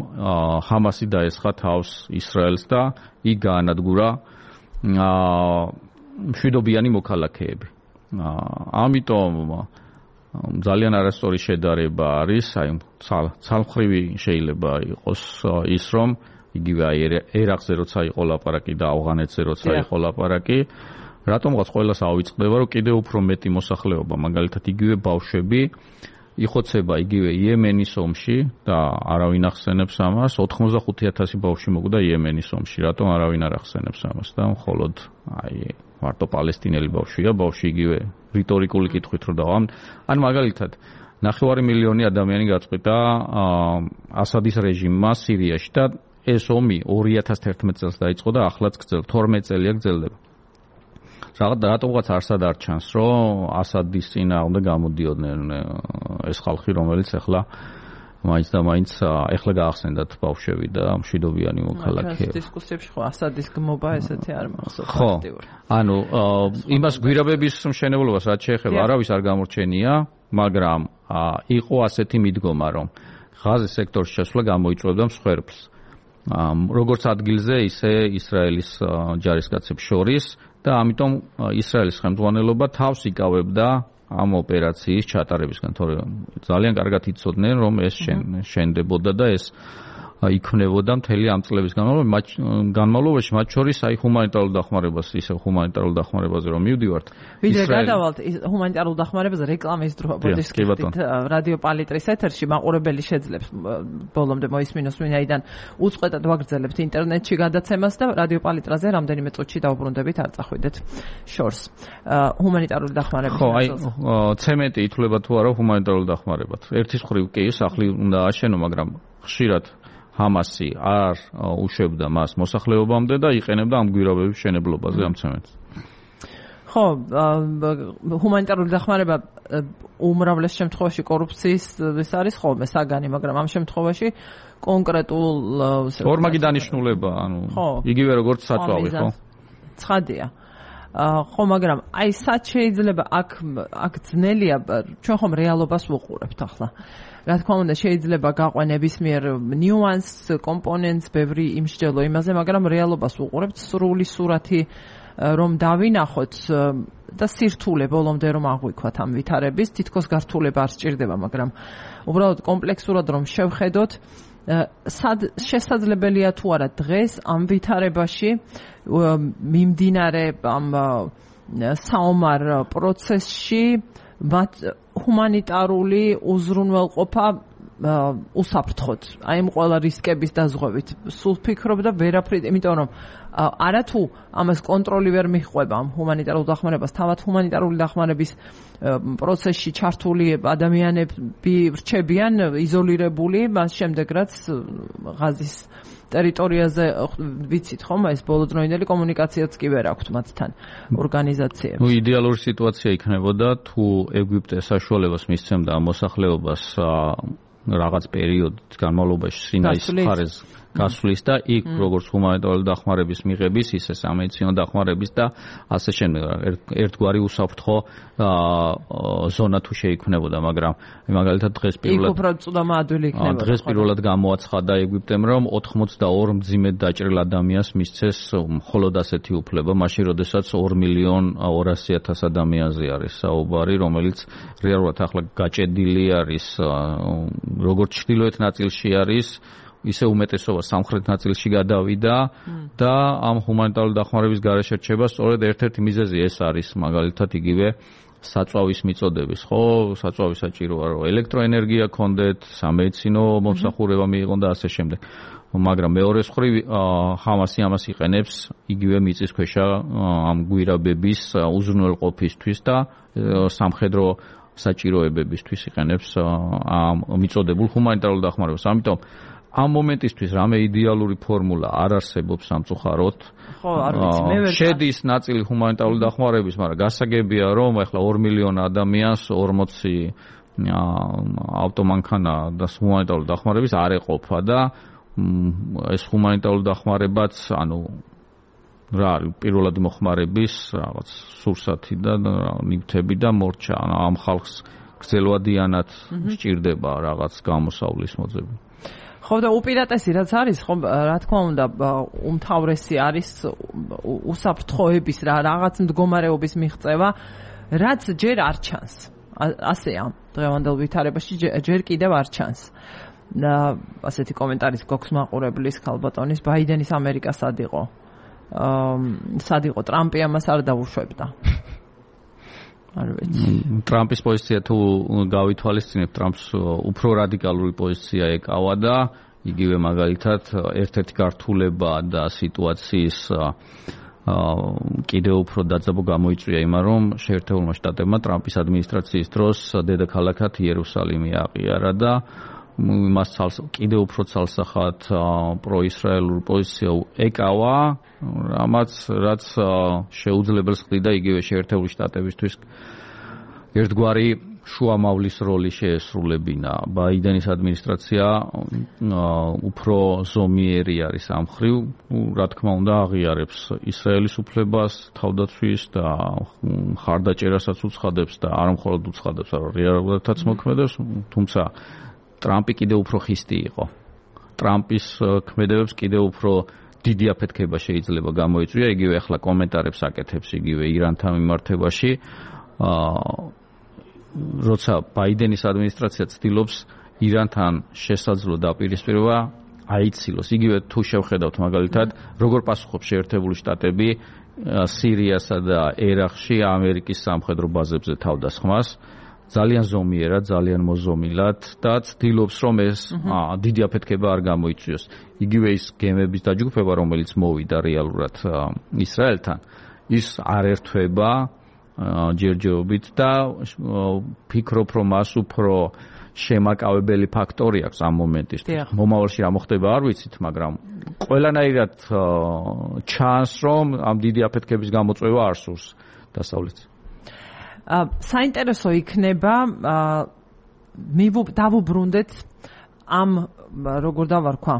ჰამასი დაესხა თავს ისრაელს და იქ გაანადგურა მშვიდობიანი მოქალაქეები. ამიტომ ძალიან არასწორი შედარება არის, აი ცალმხრივი შეიძლება იყოს ის, რომ იგივე აი ერაყზე როცა იყო ლაპარაკი და ავღანეთზე როცა იყო ლაპარაკი, რატომღაც ყველას ავიწყდება, რომ კიდევ უფრო მეტი მოსახლეობა, მაგალითად იგივე ბავშვები იხოცება იგივე იემენის ომში და არავინ ახსენებს ამას, 85,000 ბავშვი მოკვდა იემენის ომში, რატომ არავინ არ ახსენებს ამას და მხოლოდ აი მარტო პალესტინელი ბავშვია, ბავშვი იგივე რიტორიკული კითხვით რო დავა. ან მაგალითად 9 მილიონი ადამიანი გაწყვიტა ასადის რეჟიმმა სირიაში და ეს ომი 2011 წელს დაიწყო და ახლაც გრძელდება, 12 წელია გრძელდება. რატომღაც არსად არ ჩანს, რომ ასადის წინააღმდეგ გამოდიოდნენ ეს ხალხი, რომელიც ახლა მაინც და მაინც ეხლა გაახსენდათ ბავშვები და მშვიდობიანი მოქალაქეები. დისკუსიებში ხო ასადის გმობა ესეთი არ მახსოვს აქტიური. ანუ იმას გვირაბების მშენებლობას რაც შეეხება არავის არ გამორჩენია, მაგრამ იყო ასეთი მიდგომა, რომ ღაზის სექტორში შესვლა გამოიწვევდა მსხვერპლს. როგორც ადგილზე, ისე ისრაელის ჯარისკაცებს შორის და ამიტომ ისრაელის ხელმძღვანელობა თავს იკავებდა ამ ოპერაციის ჩატარებისგან, თორემ ძალიან კარგად იცოდნენ, რომ ეს შენდებოდა და ეს იქნებოდა მთელი ამ წლების განმავლობაში, მათ შორის აი ჰუმანიტარულ დახმარებას, ისე ჰუმანიტარულ დახმარებაზე რომ მივდივართ. ვიდრე გადავალთ ჰუმანიტარულ დახმარებაზე რეკლამის დრო ბოდის ხდით რადიო პალიტრის ეთერში მაყურებელი შეძლებს ბოლომდე მოისმინოს ვინაიდან უწყვეტად ვაგრძელებთ ინტერნეტში გადაცემას და რადიო პალიტრაზე რამდენიმე წუთში დავუბრუნდებით არ წახვიდეთ შორს ჰუმანიტარული დახმარების ხო აი ცემენტი ითვლება თუ არა ჰუმანიტარულ დახმარებად ერთის მხრივ კი სახლი უნდა აშენო მაგრამ ხშირად ჰამასი არ უშვებდა მას მოსახლეობამდე და იყენებდა ამ გვირაბების შენებლობაზე ამ ცემენტს. ხო, ჰუმანიტარული დახმარება უმრავლეს შემთხვევაში კორუფციის ეს არის ხოლმე საგანი, მაგრამ ამ შემთხვევაში კონკრეტულ ორმაგი დანიშნულება, ანუ იგივე როგორც საწვავი, ხო? ცხადია. ხო, მაგრამ აი სად შეიძლება აქ ძნელია, ჩვენ ხომ რეალობას ვუყურებთ ახლა. რა თქმა უნდა, შეიძლება გაყვენ ნებისმიერ ნიუანს, კომპონენტს, ბევრი იმსჯელო იმაზე, მაგრამ რეალობას ვუყურებთ, სრული სურათი რომ დავინახოთ და სირთულე ბოლომდე რომ აღვიქვათ ამ ვითარების, თითქოს გართულება არ სჭირდება, მაგრამ უბრალოდ კომპლექსურად რომ შევხედოთ, სად შესაძლებელია თუ არა დღეს ამ ვითარებაში მიმდინარე ამ საომარ პროცესში მათ ჰუმანიტარული უზრუნველყოფა უსაფრთხოდ. აი ამ ყველა რისკების დაზღვევით სულ ფიქრობ და ვერაფრით, იმიტომ რომ არათუ ამას კონტროლი ვერ მიჰყვება ამ ჰუმანიტარულ დახმარებას, თავად ჰუმანიტარული დახმარების პროცესში ჩართული ადამიანები რჩებიან იზოლირებული, მას შემდეგ რაც ღაზის ტერიტორიაზე ვიცით ხომ ეს ბოლოდროინდელი კომუნიკაციაც კი ვერ აქვთ მათთან ორგანიზაციებს. ნუ იდეალური სიტუაცია იქნებოდა თუ ეგვიპტე საშუალებას მისცემდა ამ მოსახლეობას რაღაც პერიოდის განმავლობაში სინაის მხარეს გასვლის და იქ როგორც ჰუმანიტარული დახმარების მიღების, ისე სამედიცინო დახმარების და ასე შემდეგ ერთგვარი უსაფრთხო ზონა თუ შეიქმნებოდა, მაგრამ მაგალითად დღეს პირველად გამოაცხადა ეგვიპტემ, რომ 82 მძიმედ დაჭრილ ადამიანს მისცეს მხოლოდ ასეთი უფლება, მაშინ როდესაც 2,200,000 ადამიანზე არის საუბარი, რომელიც რეალურად ახლა გაჭედილი არის, როგორც ჩრდილოეთ ნაწილში არის ისე უმეტესობა სამხრეთ ნაწილში გადავიდა და ამ ჰუმანიტარული დახმარების გარეშე რჩება სწორედ ერთ-ერთი მიზეზი ეს არის მაგალითად იგივე საწვავის მიწოდების, ხო, საწვავი საჭიროა რომ ელექტროენერგია ქონდეთ, სამედიცინო მომსახურება მიიღონ და ასე შემდეგ. მაგრამ მეორე მხრივ ჰამასი ამას იყენებს იგივე მიწისქვეშა ამ გვირაბების უზრუნველყოფისთვის და სამხედრო საჭიროებებისთვის იყენებს ამ მიწოდებულ ჰუმანიტარულ დახმარებას. ამიტომ ამ მომენტისთვის რამე იდეალური ფორმულა არ არსებობს სამწუხაროდ. ხო, არ ვიცი, მე ვერ შედის ნაწილი ჰუმანიტარული დახმარების, მაგრამ გასაგებია რომ ახლა 2 მილიონი ადამიანს 40 ავტომანქანა და ჰუმანიტარული დახმარების არ ეყოფა და ეს ჰუმანიტარული დახმარებაც, ანუ რა არის პირველად მოხმარების რაღაც სურსათი და ნივთები და მორჩა, ამ ხალხს გრძელვადიანად სჭირდება რაღაც გამოსავლის მოძებნა. ხო და უპირატესი რაც არის, ხო რა თქმა უნდა უმთავრესი არის უსაფრთხოების რაღაც მდგომარეობის მიღწევა, რაც ჯერ არ ჩანს. ასეა დღევანდელ ვითარებაში ჯერ კიდევ არ ჩანს. ასეთი კომენტარით გვაქვს მაყურებლის ქალბატონის ბაიდენის ამერიკა სად იყო? სად იყო ტრამპი ამას არ დაუშვებდა. არ ვიცი. ტრამპის პოზიცია თუ გავითვალისწინებთ, ტრამპს უფრო რადიკალური პოზიცია ეკავა და იგივე მაგალითად ერთ-ერთი გართულება და სიტუაციის კიდევ უფრო დაძაბო გამოიწვია იმან, რომ შეერთებულმა შტატებმა ტრამპის ადმინისტრაციის დროს დედაქალაქად იერუსალიმი აყიარა და მას კიდევ უფრო ცალსახად პროისრაელურ პოზიცია ეკავა, რაც შეუძლებელს ხდიდა იგივე შეერთებული შტატებისთვის ერთგვარი შუამავლის როლი შეესრულებინა. ბაიდენის ადმინისტრაცია უფრო ზომიერი არის ამ მხრივ, რა თქმა უნდა, აღიარებს ისრაელის უფლებას, თავდაცვის და ხარდაჭერასაც უცხადებს და არა მხოლოდ უცხადებს, არამედ რეალურადაც მოქმედებს, თუმცა ტრამპი კიდევ უფრო ხისტი იყო. ტრამპის ქმედებებს კიდევ უფრო დიდი აფეთქება შეიძლება გამოიწვია, იგივე ახლა კომენტარებს აკეთებს იგივე ირანთან მიმართებაში. როცა ბაიდენის ადმინისტრაცია ცდილობს ირანთან შესაძლო დაპირისპირება აიცილოს. იგივე თუ შევხედავთ მაგალითად, როგორ პასუხობს შეერთებული შტატები სირიასა და ერაყში ამერიკის სამხედრო ბაზებზე თავდასხმას. ძალიან ზომიერად, ძალიან მოზომილად და ცდილობს რომ ეს დიდი აფეთქება არ გამოიწვიოს. იგივე ის გემების დაჯგუფება, რომელიც მოვიდა რეალურად ისრაელთან, ის არ ერთვება ჯერჯერობით და ფიქრობ რომ მას უფრო შემაკავებელი ფაქტორი აქვს ამ მომენტისთვის. მომავალში რა მოხდება არ ვიცით, მაგრამ ყველანაირად ჩანს რომ ამ დიდი აფეთქების გამოწვევა არ სურს დასავლეთს. საინტერესო იქნება დავუბრუნდეთ ამ როგორ დავარქვა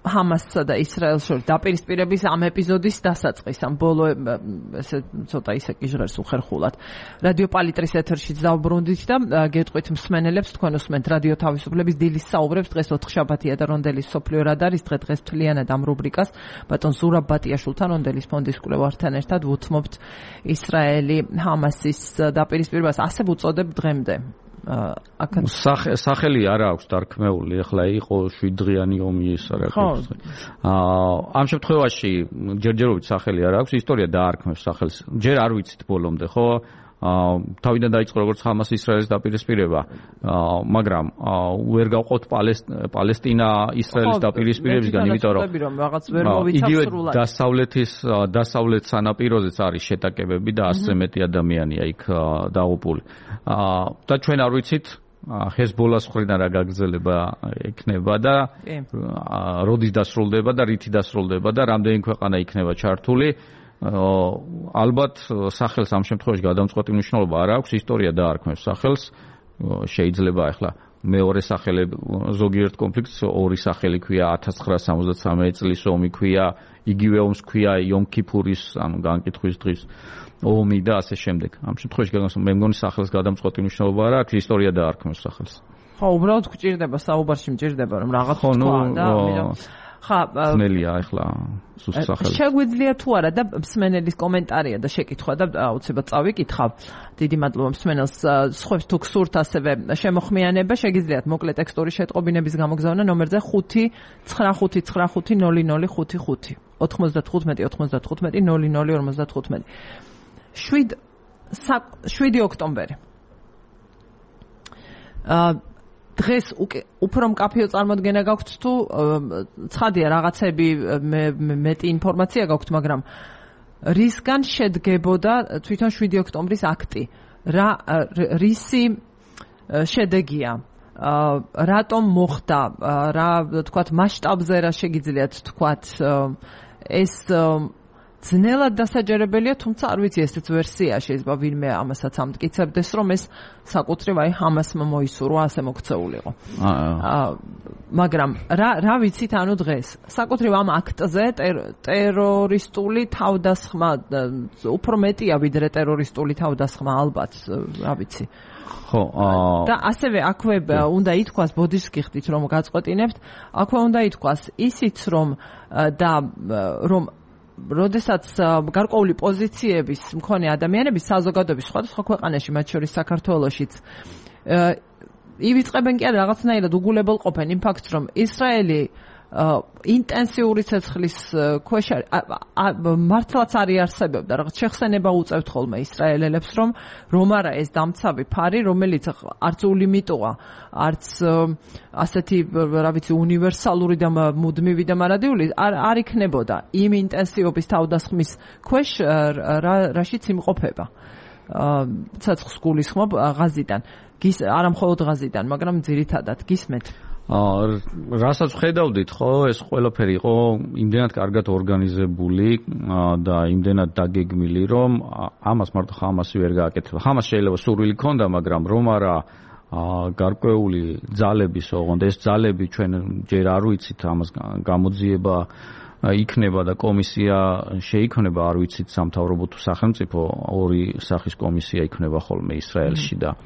ჰამასსა და ისრაელს შორის დაპირისპირების ამ ეპიზოდის დასაწყის, ამ ბოლო ესე ცოტა ისე კი ჟღერს უხერხულად. რადიო პალიტრის ეთერშიც დავუბრუნდით და გეტყვით მსმენელებს, თქვენ უსმენთ რადიო თავისუფლების დილის საუბრებს, დღეს 4 შაბათია და რონდელის სოფლიო რადარის დღეს მთლიანად ამ რუბრიკას ბატონ ზურაბ ბატიაშვილთან რონდელის ფონდის კვლევართან ერთად ვუთმობთ ისრაელი ჰამასის დაპირისპირებას, ასე ვუწოდებ დღემდე. სახელი არ აქვს დარქმეული, ახლა იყო 7 დღიანი ომი ის არ აქვს. ამ შემთხვევაში ჯერჯერობით სახელი არ აქვს, ისტორია დაარქმევს სახელს. ჯერ არ ვიცით ბოლომდე, ხო? თავიდან დაიწყო როგორც ჰამას ისრაელის დაპირისპირება, მაგრამ ვერ გავყოთ პალესტინა ისრაელის დაპირისპირებისგან, იმიტომ რომ იგივე დასავლეთ სანაპიროზეც არის შეტაკებები და 100-ზე მეტი ადამიანია იქ დაღუპული. და ჩვენ არ ვიცით ჰეზბოლას მხრიდან რა გაგრძელება ექნება და როდის დასრულდება და რითი დასრულდება და რამდენი ქვეყანა იქნება ჩართული. ალბათ სახელს ამ შემთხვევაში გადამწყვეტი მნიშვნელობა არ აქვს, ისტორია დაარქმევს სახელს. შეიძლება ახლა მეორე სახელი ზოგიერთ კონფლიქტს ორი სახელი ქვია, 1973 წლის ომი ქვია, იგივე ომს ქვია იომ კიპურის, ანუ განკითხვის დღის ომი და ასე შემდეგ. ამ შემთხვევაში მე მგონი სახელს გადამწყვეტი მნიშვნელობა არ აქვს, ისტორია დაარქმევს სახელს. ხო, უბრალოდ გვჭირდება საუბარში მჭირდება რომ რაღაც თქვა და ნელია ახლა სუსახელი. შეგვიძლია თუ არა და მსმენელის კომენტარია და შეკითხვა და აუცილებლად წავიკითხავ. დიდი მადლობა მსმენელს. სხვებს თუ გსურთ ასევე შემოხმიანება, შეგიძლიათ მოკლე ტექსტური შეტყობინების გამოგზავნა ნომერზე 599500555 95 7 ოქტომბერი. დღეს უფრო მკაფიო წარმოდგენა გაქვთ თუ ცხადია რაღაცები მეტი ინფორმაცია გაქვთ, მაგრამ რისგან შედგებოდა თვითონ 7 ოქტომბრის აქტი? რისი შედეგია? რატომ მოხდა? რა თქვათ მასშტაბზე რა შეგიძლიათ თქვათ? ეს ძნელად დასაჯერებელია, თუმცა არ ვიცი, ესეც ვერსია შეიძლება ვინმე ამასაც ამტკიცებდეს, რომ ეს საკუთრივ აი ჰამასმა მოისურვა ასე მოქცეულიყო. მაგრამ რა ვიცით ანუ დღეს? საკუთრივ ამ აქტზე ტერორისტული თავდასხმა უფრო მეტია ვიდრე ტერორისტული თავდასხმა, ალბათ, რა ვიცი. ხო, და ასევე აქვე უნდა ითქვას, ბოდიშს გიხდით რომ გაწყვეტინებთ, აქვე უნდა ითქვას ისიც რომ როდესაც გარკვეული პოზიციების მქონე ადამიანები საზოგადოების სხვადასხვა ქვეყანაში, მათ შორის საქართველოშიც, ივიწყებენ კი არა რაღაცნაირად უგულებელყოფენ იმ ფაქტს, რომ ისრაელი ინტენსიური ცეცხლის ქვეშ მართლაც არ იარსებებდა, რაღაც შეხსენება უწევთ ხოლმე ისრაელელებს, რომ არა ეს დამცავი ფარი, რომელიც არც ულიმიტოა, არც ასეთი, რა ვიცი, უნივერსალური და მუდმივი და მარადიული არ იქნებოდა იმ ინტენსივობის თავდასხმის ქვეშ, რაშიც იმყოფება. ცეცხლს გულისხმობ ღაზიდან. არა მხოლოდ ღაზიდან, მაგრამ ძირითადად გისმენთ. რასაც ხედავდით, ხო, ეს ყველაფერი იყო იმდენად კარგად ორგანიზებული და იმდენად დაგეგმილი, რომ ამას მარტო ხამასი ვერ გააკეთებდა. ხამას შეიძლება სურვილი ქონდა, მაგრამ რომ არა გარკვეული ძალების ოღონდ ეს ძალები ჩვენ ჯერ არ ვიცით ამას გამოძიება იქნება და კომისია შეიქმნება, არ ვიცით სამთავრობო თუ სახელმწიფო, ორი სახის კომისია იქნება ხოლმე ისრაელში და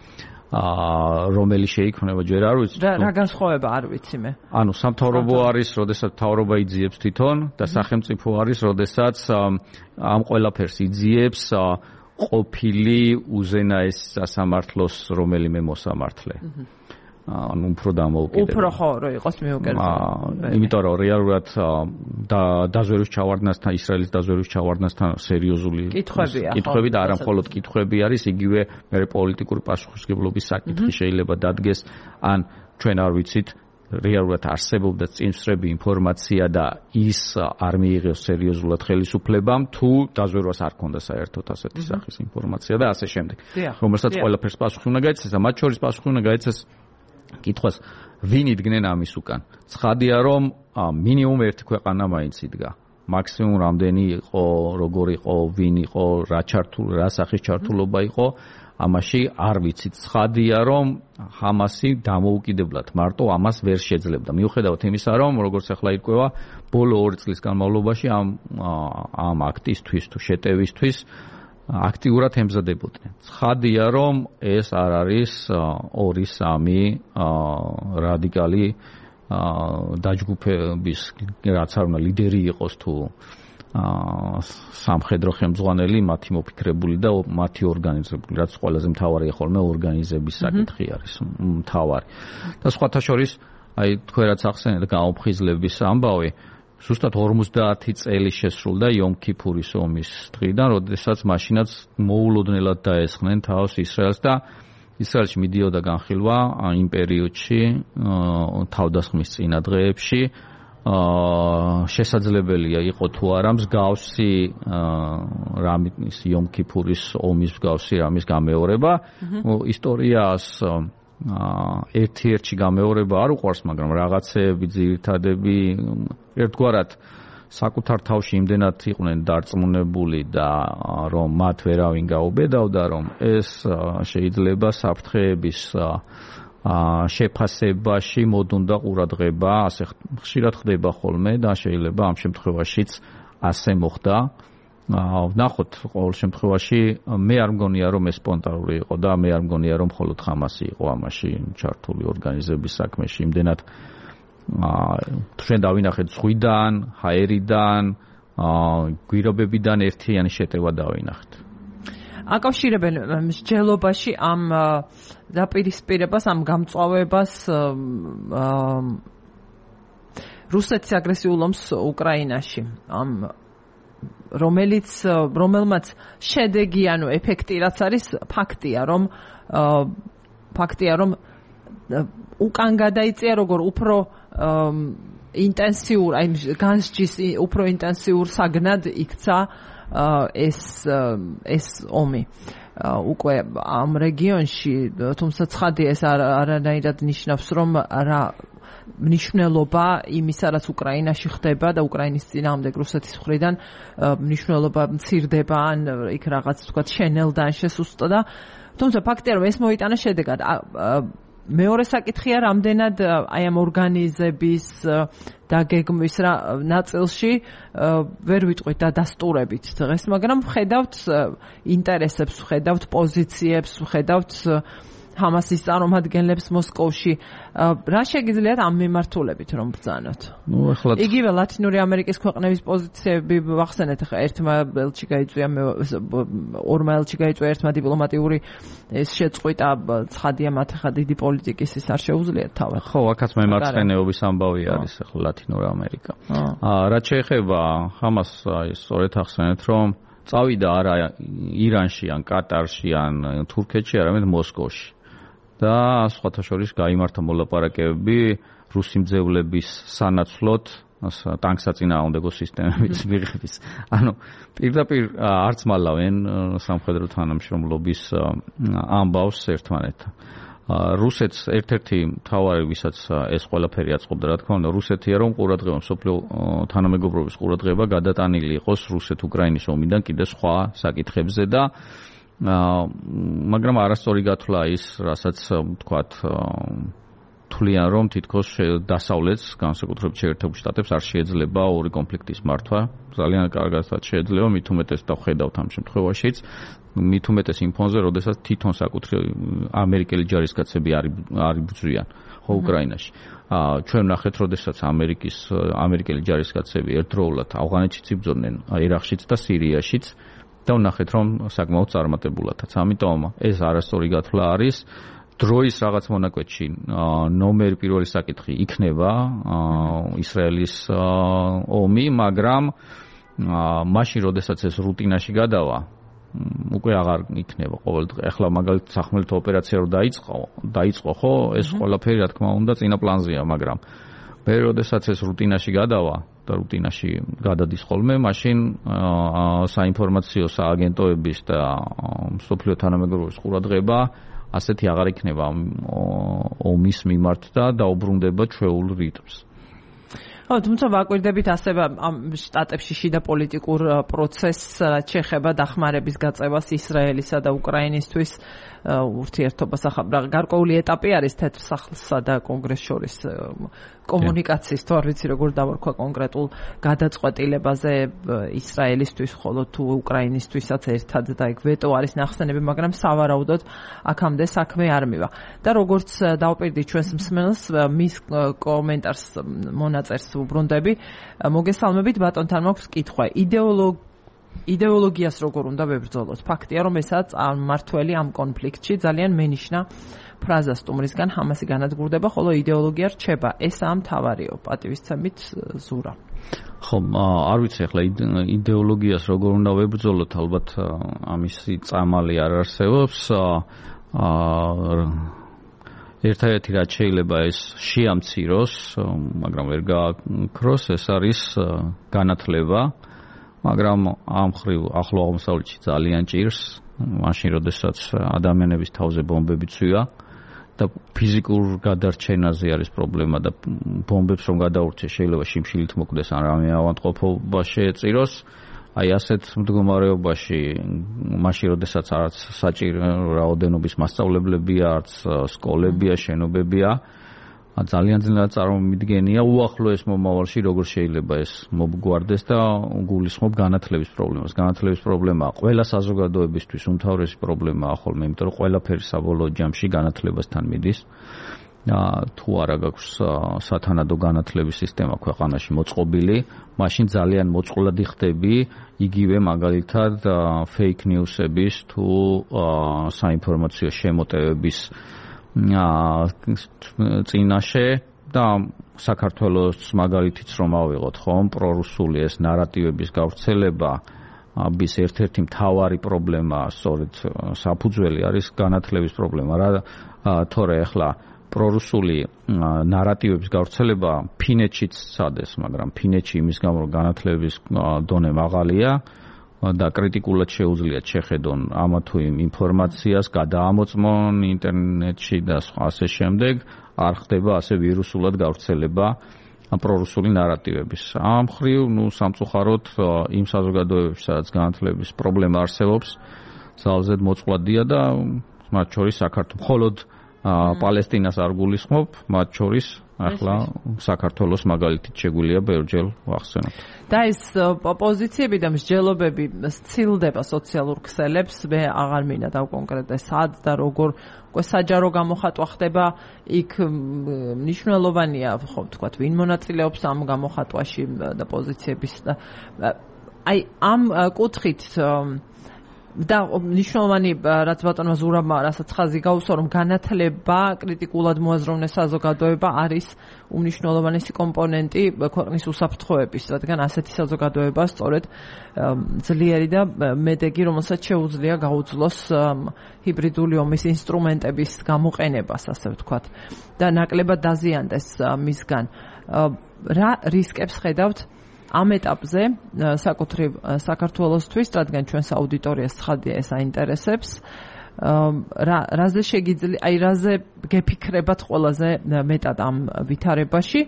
რომელი შეიქმნება ჯერ არ ვიცით. რა განსხვავება არ ვიცი მე. ანუ სამთავრობო არის, როდესაც მთავრობა იძიებს თვითონ და სახელმწიფო არის, როდესაც ამ ყველაფერს იძიებს ყოფილი უზენაეს სასამართლოს რომელიმე მოსამართლე. ანუ უფრო დამოუკიდებელ. უფრო ხო რო იყოს მიუკერძო. იმიტომ რომ რეალურად დაზვერვის ჩავარდნასთან, ისრაელის დაზვერვის ჩავარდნასთან სერიოზული კითხვები და არა მხოლოდ კითხვები არის, იგივე მე პოლიტიკური პასუხისმგებლობის საკითხი შეიძლება დადგეს, ან ჩვენ არ ვიცით რეალურად არსებობდა წინსწრები ინფორმაცია და ის არ მიიღეს სერიოზულად ხელისუფლებამ თუ დაზვერვას არ ქონდა საერთოდ ასეთი სახის ინფორმაცია და ასე შემდეგ. რომელსაც ყველაფერს პასუხი უნდა გაეცეს და მათ შორის პასუხი უნდა გაეცეს კითხვას ვინ იდგნენ ამის უკან. ცხადია რომ მინიმუმ ერთი ქვეყანა მაინც იდგა. მაქსიმუმ რამდენი იყო, როგორ იყო, ვინ იყო, რა სახის ჩართულობა იყო, ამაში არ ვიცით. ცხადია რომ ჰამასი დამოუკიდებლად მარტო ამას ვერ შეძლებდა. მიუხედავად იმისა რომ როგორც ახლა ირკვევა, ბოლო 2 წლის განმავლობაში ამ აქტისთვის თუ შეტევისთვის აქტიურად ემზადებოდნენ. ცხადია რომ ეს არ არის 2-3 რადიკალი დაჯგუფების რაც არ უნდა ლიდერი იყოს თუ სამხედრო ხელმძღვანელი, მათი მოფიქრებული და მათი ორგანიზებული, რაც ყველაზე მთავარია ხოლმე ორგანიზების საკითხი არის მთავარი. და სხვათა შორის, აი თქვენ რაც ახსენეთ გაუფხიზლების ამბავი, ზუსტად 50 წელი შესრულდა იომ-ქიფურის ომის დღიდან, როდესაც მაშინაც მოულოდნელად დაესხნენ თავს ისრაელს და ისრაელში მიდიოდა განხილვა იმ პერიოდში თავდასხმის წინა დღეებში შესაძლებელია იყო თუ არა მსგავსი რამის იომ-ქიფურის ომის მსგავსი რამის გამეორება. ისტორიას ერთ-ერთი გამეორება არ უყვარს, მაგრამ რაღაცეები ძირითადები ერთგვარად საკუთარ თავში იმდენად იყვნენ დარწმუნებული და რომ მათ ვერავინ გაუბედავდა, რომ ეს შეიძლება საფრთხეების შეფასებაში მოდუნდა ყურადღება, ასე ხშირად ხდება ხოლმე და შეიძლება ამ შემთხვევაშიც ასე მოხდა. ვნახოთ, ყოველ შემთხვევაში მე არ მგონია რომ ეს სპონტანური იყო და მე არ მგონია რომ მხოლოდ ხამასი იყო ამაში ჩართული ორგანიზების საქმეში. იმდენად ჩვენ დავინახეთ ზღვიდან, ჰაერიდან, გვირაბებიდან ერთიანი შეტევა დავინახეთ. აკავშირებენ მსჯელობაში ამ დაპირისპირებას, ამ გამწვავებას რუსეთის აგრესიულ ომს უკრაინაში. რომელმაც შედეგი, ანუ ეფექტი რაც არის, ფაქტია რომ უკან გადაიწია როგორ უფრო ინტენსიურ, აი განსჯის უფრო ინტენსიურ საგნად იქცა ეს ომი. უკვე ამ რეგიონში, თუმცა ცხადია ეს არანაირად ნიშნავს რომ რა მნიშვნელობა იმისა, რაც უკრაინაში ხდება და უკრაინის წინააღმდეგ რუსეთის მხრიდან მნიშვნელობა მცირდება, ან იქ რაღაც თქვა შენელდა, შესუსტდა. თუმცა ფაქტია რომ ეს მოიტანა შედეგად. მეორე საკითხია, რამდენად აი ამ ორგანიზების დაგეგმვის ნაწილში ვერ ვიტყვით დადასტურებით დღეს, მაგრამ ვხედავთ ინტერესებს, ვხედავთ პოზიციებს, ვხედავთ ჰამასის წარმომადგენლებს მოსკოვში. რა შეგიძლიათ ამ მიმართულებით რომ ბრძანოთ? იგივე ლათინური ამერიკის ქვეყნების პოზიციები ვახსენეთ, ახლა ერთმა ელჩი გაიწვია, ორმა ელჩი გაიწვია, ერთმა დიპლომატიური ეს შეწყვიტა, ცხადია მათ ახლა დიდი პოლიტიკის ის არ შეუძლიათ თავად. ხო, აქაც მემარცხენეობის ამბავი არის ახლა ლათინური ამერიკა. რაც შეეხება ჰამასს, სწორედ ახსენეთ, რომ წავიდა არა ირანში, ან კატარში, ან თურქეთში, არამედ მოსკოვში. და სხვათა შორის გაიმართა მოლაპარაკებები რუსი მძევლების სანაცვლოდ ტანკსაწინააღმდეგო სისტემების მიღების. ანუ პირდაპირ არც მალავენ სამხედრო თანამშრომლობის ამბავს ერთმანეთთან. რუსეთს ერთ-ერთი მთავარი ვისაც ეს ყველაფერი აწყობდა, რა თქმა უნდა, რუსეთია, რომ ყურადღება მსოფლიო თანამეგობრობის ყურადღება გადატანილი იყოს რუსეთ-უკრაინის ომიდან კიდე სხვა საკითხებზე და მაგრამ არასწორი გათვლა ის, რასაც ვთქვათ, თვლიან, რომ თითქოს დასავლეთს, განსაკუთრებით შეერთებულ შტატებს არ შეეძლება ორი კონფლიქტის მართვა. ძალიან კარგადაც შეეძლება, მით უმეტეს და ხედავთ ამ შემთხვევაშიც, მით უმეტეს იმ ფონზე, როდესაც თვითონ საკუთრი ამერიკელი ჯარისკაცები არ იბრძვიან ხო უკრაინაში. ჩვენ ნახეთ, როდესაც ამერიკელი ჯარისკაცები ერთდროულად ავღანეთშიც იბრძოდნენ, ერაყშიც და სირიაშიც და ვნახეთ, რომ საკმაოდ წარმატებულადაც. ამიტომ ეს არასწორი გათვლა არის. დროის რაღაც მონაკვეთში ნომერი პირველი საკითხი იქნება ისრაელის ომი, მაგრამ მაშინ, როდესაც ეს რუტინაში გადავა, უკვე აღარ იქნება ყოველდღე. ახლა მაგალითად სახმელეთო ოპერაცია რო დაიწყო, ხო, ეს ყველაფერი რა თქმა უნდა წინა პლანზეა, მაგრამ მე როდესაც ეს რუტინაში გადავა და რუტინაში გადადის ხოლმე, მაშინ საინფორმაციო სააგენტოების და მსოფლიო თანამეგობრობის ყურადღება ასეთი აღარ იქნება ომის მიმართ და დაუბრუნდება ჩვეულ რიტმს. ხო, თუმცა ვაკვირდებით ასევე ამ შტატებში შიდა პოლიტიკურ პროცესს, რაც შეეხება დახმარების გაწევას ისრაელისა და უკრაინისთვის ურთიერთობას. გარკვეული ეტაპი არის თეთრ სახლსა და კონგრესს შორის კომუნიკაციის, თუ არ ვიცი როგორ დავარქვა კონკრეტულ გადაწყვეტილებაზე ისრაელისთვის, ხოლო თუ უკრაინისთვისაც ერთად და ეგ ვეტო არის ნახსენები, მაგრამ სავარაუდოდ აქამდე საქმე არ მივა. და როგორც დავპირდი ჩვენს მსმენელს, მის კომენტარს მონაწერს უბრუნდები, მოგესალმებით, ბატონთან მაქვს კითხვა. იდეოლოგიას როგორ უნდა ვებრძოლოთ? ფაქტია, რომ ესაც მმართველი ამ კონფლიქტში ძალიან მენიშნა ფრაზა სტუმრისგან ჰამასი განადგურდება, ხოლო იდეოლოგია რჩება. ესაა მთავარიო. პატივისცემით ზურა. ხო, არ ვიცი ახლა იდეოლოგიას როგორ უნდა ვებრძოლოთ, ალბათ ამისი წამალი არ არსებობს. ერთადერთი რაც შეიძლება ეს შეამციროს, მაგრამ ვერ გააქროს, ეს არის განათლება. მაგრამ ამ ხრივ ახლო აღმოსავლეთში ძალიან ჭირს, მაშინ როდესაც ადამიანების თავზე ბომბები ცვია და ფიზიკურ გადარჩენაზე არის პრობლემა და ბომბებს რომ გადაურჩეს შეიძლება შიმშილით მოკვდეს ან რამე ავადმყოფობა შეეწიროს. აი ასეთ მდგომარეობაში მაშინ როდესაც არც საჭირო რაოდენობის მასწავლებლებია, არც სკოლებია, შენობებია, ძალიან ძნელად წარმომიდგენია უახლოეს მომავალში როგორ შეიძლება ეს მომგვარდეს და გულისხმობ განათლების პრობლემას. განათლების პრობლემა ყველა საზოგადოებისთვის უმთავრესი პრობლემაა ხოლმე, იმიტომ რომ ყველაფერი საბოლოო ჯამში განათლებასთან მიდის. თუ არა გაქვს სათანადო განათლების სისტემა ქვეყანაში მოწყობილი, მაშინ ძალიან მოწყვლადი ხდები იგივე მაგალითად fake news-ების თუ საინფორმაციო შემოტევების წინაშე და საქართველოს მაგალითიც რომ ავიღოთ ხომ, პრორუსული ეს ნარატივების გავრცელება bis ერთ-ერთი მთავარი პრობლემა, სწორედ საფუძველი არის განათლების პრობლემა. თორე ახლა პრორუსული ნარატივების გავრცელება ფინეთშიც სადეს, მაგრამ ფინეთში იმის გამო რომ განათლების დონე მაღალია და კრიტიკულად შეუძლიათ შეხედონ ამა თუ იმ ინფორმაციას, გადაამოწმონ ინტერნეტში და ასე შემდეგ, არ ხდება ასე ვირუსულად გავრცელება პრორუსული ნარატივების. ამ ხრივ, სამწუხაროდ იმ საზოგადოებებში, სადაც განათლების პრობლემა არსებობს, ძალზედ მოწყვლადია და მათ შორის საქართველოს მხოლოდ პალესტინას არ გულისხმობ, მათ შორის ახლა საქართველოს მაგალითით შეგვიძლია ბევრჯერ ვახსენოთ. და ეს პოზიციები და მსჯელობები სცილდება სოციალურ ქსელებს, მე აღარ მინდა დავკონკრეტე სად და როგორ, უკვე საჯარო გამოხატვა ხდება, იქ მნიშვნელოვანია, ხო ვთქვათ, ვინ მონაწილეობს ამ გამოხატვაში და პოზიციების და აი ამ კუთხით და ნიშნულოვანი რაც ბატონმა ზურაბმა რასაც ხაზი გაუსვა, რომ განათლება კრიტიკულად მოაზროვნე საზოგადოება არის უმნიშვნელოვანესი კომპონენტი ქვეყნის უსაფრთხოების, რადგან ასეთი საზოგადოება სწორედ ძლიერი და მედეგი, რომელსაც შეუძლია გაუძლოს ჰიბრიდული ომის ინსტრუმენტების გამოყენებას, ასე ვთქვათ, და ნაკლებად დაზიანდეს მისგან. რა რისკებს ხედავთ ამ ეტაპზე საკუთრივ საქართველოსთვის, რადგან ჩვენს აუდიტორიას ცხადია ეს აინტერესებს, რაზე შეგიძლია, აი რაზე გეფიქრებათ ყველაზე მეტად ამ ვითარებაში?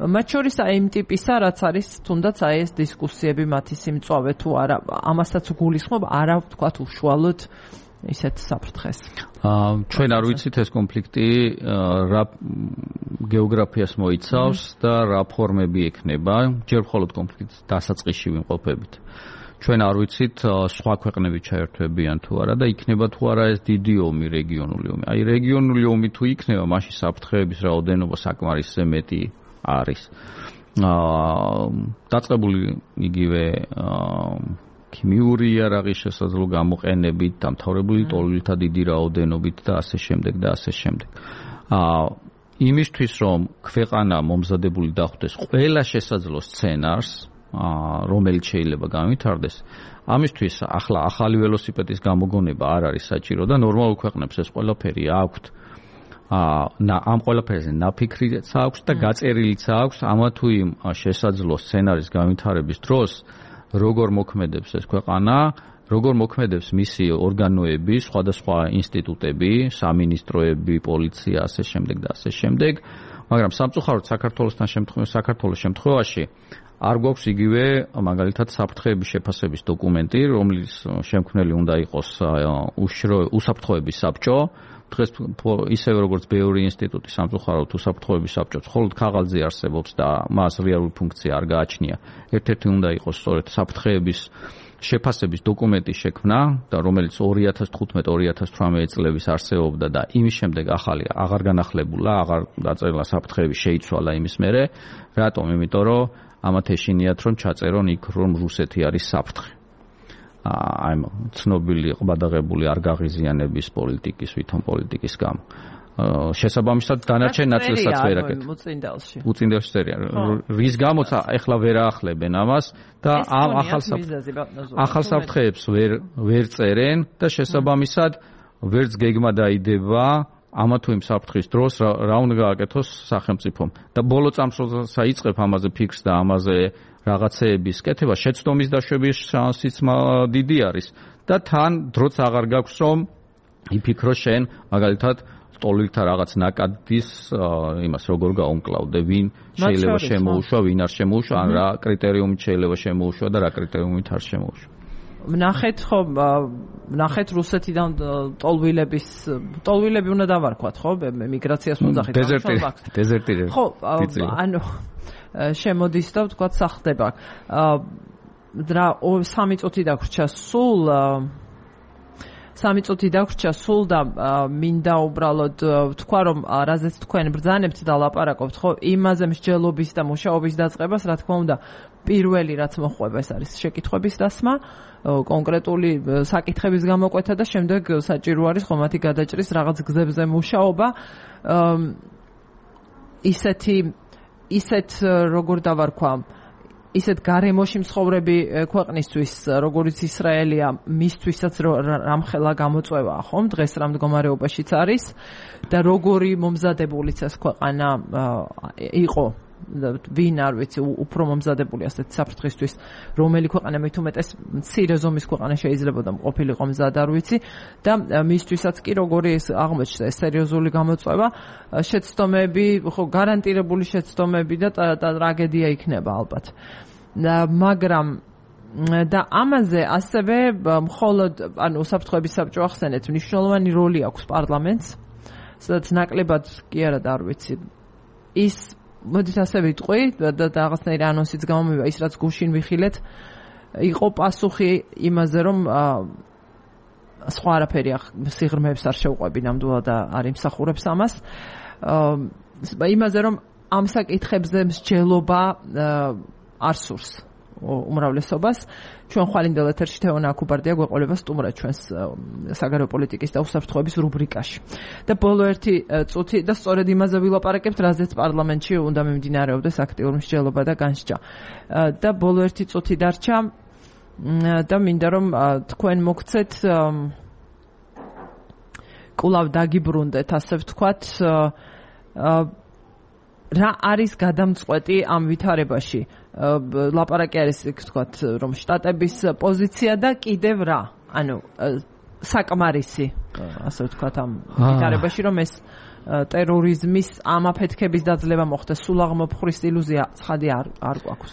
მათ შორის აი იმ ტიპისა, რაც არის თუნდაც აი ეს დისკუსიები მათი სიმწვავე თუ არა, ამასაც გულისხმობ, არა ვთქვათ უშუალოდ ისეთ საფრთხეს. ჩვენ არ ვიცით ეს კონფლიქტი რა გეოგრაფიას მოიცავს და რა ფორმები ექნება, ჯერ მხოლოდ კონფლიქტის დასაწყისში ვიმყოფებით. ჩვენ არ ვიცით სხვა ქვეყნები ჩაერთვებიან თუ არა და იქნება თუ არა ეს დიდი ომი, რეგიონული ომი. აი რეგიონული ომი თუ იქნება, მაშინ საფრთხეების რაოდენობა საკმარისზე მეტი არის. დაწყებული იგივე ქიმიური იარაღის შესაძლო გამოყენებით, დამთავრებული ტოლვილთა დიდი რაოდენობით და ასე შემდეგ და ასე შემდეგ. იმისთვის რომ ქვეყანა მომზადებული დახვდეს ყველა შესაძლო სცენარს, რომელიც შეიძლება განვითარდეს, ამისთვის ახლა ახალი ველოსიპედის გამოგონება არ არის საჭირო და ნორმალურ ქვეყნებს ეს ყველაფერი აქვთ. ამ ყველაფერზე ნაფიქრიც აქვს და გაწერილიც აქვს ამა თუ იმ შესაძლო სცენარის განვითარების დროს როგორ მოქმედებს ეს ქვეყანა, როგორ მოქმედებს მისი ორგანოები, სხვადასხვა ინსტიტუტები, სამინისტროები, პოლიცია, ასე შემდეგ და ასე შემდეგ, მაგრამ სამწუხაროდ საქართველოს შემთხვევაში არ გვაქვს იგივე მაგალითად საფრთხეების შეფასების დოკუმენტი, რომლის შემქმნელი უნდა იყოს უსაფრთხოების საბჭო. დღეს ისევე როგორც ბევრი ინსტიტუტი სამწუხაროდ უსაფრთხოების საბჭოს მხოლოდ ქაღალდზე არსებობს და მას რეალური ფუნქცია არ გააჩნია. ერთ-ერთი უნდა იყოს სწორედ საფრთხეების შეფასების დოკუმენტის შექმნა და რომელიც 2015-2018 წლების არსებობდა და იმის შემდეგ ახალი აღარ განახლებულა, აღარ დაწერილა საფრთხეების შეიცვალა იმის მერე. რატომ? იმიტომ რომ ამათ ეშინიათ რომ ჩაწერონ იქ რომ რუსეთი არის საფრთხე. აი ცნობილი ყბადაღებული არ გაღიზიანების პოლიტიკის, ვითომ პოლიტიკის გამო. შესაბამისად დანარჩენ ნაწილსაც ვერ აკეთებენ. უწინდელში წერია. რის გამოც ეხლა ვერ აახლებენ ამას და ამ ახალ საფრთხეებს ვერ წერენ და შესაბამისად ვერც გეგმა დაიდება ამა თუ იმ საფრთხის დროს რა უნდა გააკეთოს სახელმწიფომ. და ბოლო წამსვლელს აიწყებ ამაზე ფიქრს და ამაზე რაღაცეების კეთება, შეცდომის დაშვების შანსიც დიდი არის და თან დროც აღარ გაქვს რომ იფიქრო შენ მაგალითად ტოლვილთა რაღაც ნაკადის იმას როგორ გაუმკლავდე, ვინ შეიძლება შემოუშვა, ვინ არ შემოუშვა, ან რა კრიტერიუმით შეიძლება შემოუშვა და რა კრიტერიუმით არ შემოუშვა. ნახეთ რუსეთიდან ტოლვილები უნდა დავარქვათ, ხო? მიგრაციას მოძახით. დეზერტირები. ხო, ანუ შემოდის და ვთქვათ სახლდება. რა 3 წუთი დაგვრჩა სულ და მინდა უბრალოდ ვთქვა რომ რაზეც თქვენ ბრძანებთ და ლაპარაკობთ, ხო, იმაზე მსჯელობის და მუშაობის დაწყებას, რა თქმა უნდა, პირველი რაც მოხვება ეს არის შეკითხვების დასმა, კონკრეტული საკითხების გამოკვეთა და შემდეგ საჭირო არის ხო მათი გადაჭრის რაღაც გზებზე მუშაობა. ისეთ როგორ დავარქვა, ისეთ გარემოში მცხოვრები ქვეყნისთვის, როგორც ისრაელია, მისთვისაც რამხელა გამოწვევაა, ხომ? დღეს რა მდგომარეობაშიც არის და როგორი მომზადებულიც ეს ქვეყანა იყო, ვინ არ ვიცი, უფრო მომზადებული ასეთ საფრთხისთვის, რომელი ქვეყანა მით უმეტეს მცირე ზომის ქვეყანა შეიძლება და ყოფილიყო მზად არ ვიცი და მისთვისაც კი როგორი ეს აღმოჩნდა ეს სერიოზული გამოწვევა, შეცდომები, ხო, გარანტირებული შეცდომები და ტრაგედია იქნება ალბათ. მაგრამ და ამაზე ასევე მხოლოდ ანუ უსაფრთხოების საბჭო ახსენეთ, მნიშვნელოვანი როლი აქვს პარლამენტს, სადაც ნაკლებად კი არა და არ ვიცი ის მოდით ასე ვიტყვი და რაღაცნაირი ანონსიც გამომივა ის რაც გუშინ ვიხილეთ იყო პასუხი იმაზე რომ სხვა არაფერი სიღრმეებს არ შევყვები ნამდვილად არ იმსახურებს ამას იმაზე რომ ამ საკითხებზე მსჯელობა არ სურს უმრავლესობას ჩვენ ხვალინდელ ეთერში თეონა აკუბარდია გვეყოლება სტუმრად ჩვენს საგარეო პოლიტიკის და უსაფრთხოების რუბრიკაში და ბოლო ერთი წუთი და სწორედ იმაზე ვილაპარაკებთ რაზეც პარლამენტში უნდა მიმდინარეობდეს აქტიური მსჯელობა და განსჯა და ბოლო ერთი წუთი დარჩა და მინდა რომ თქვენ მოგცეთ კვლავ დაგიბრუნდეთ ასე ვთქვათ რა არის გადამწყვეტი ამ ვითარებაში ლაპარაკი არის ვთქვათ რომ შტატების პოზიცია და კიდევ რა ანუ საკმარისი, ასე ვთქვათ, ამ ვითარებაში, რომ ეს ტერორიზმის ამ აფეთქების დაძლევა მოხდეს, სულ აღმოფხვრის ილუზია ცხადი არ გვაქვს.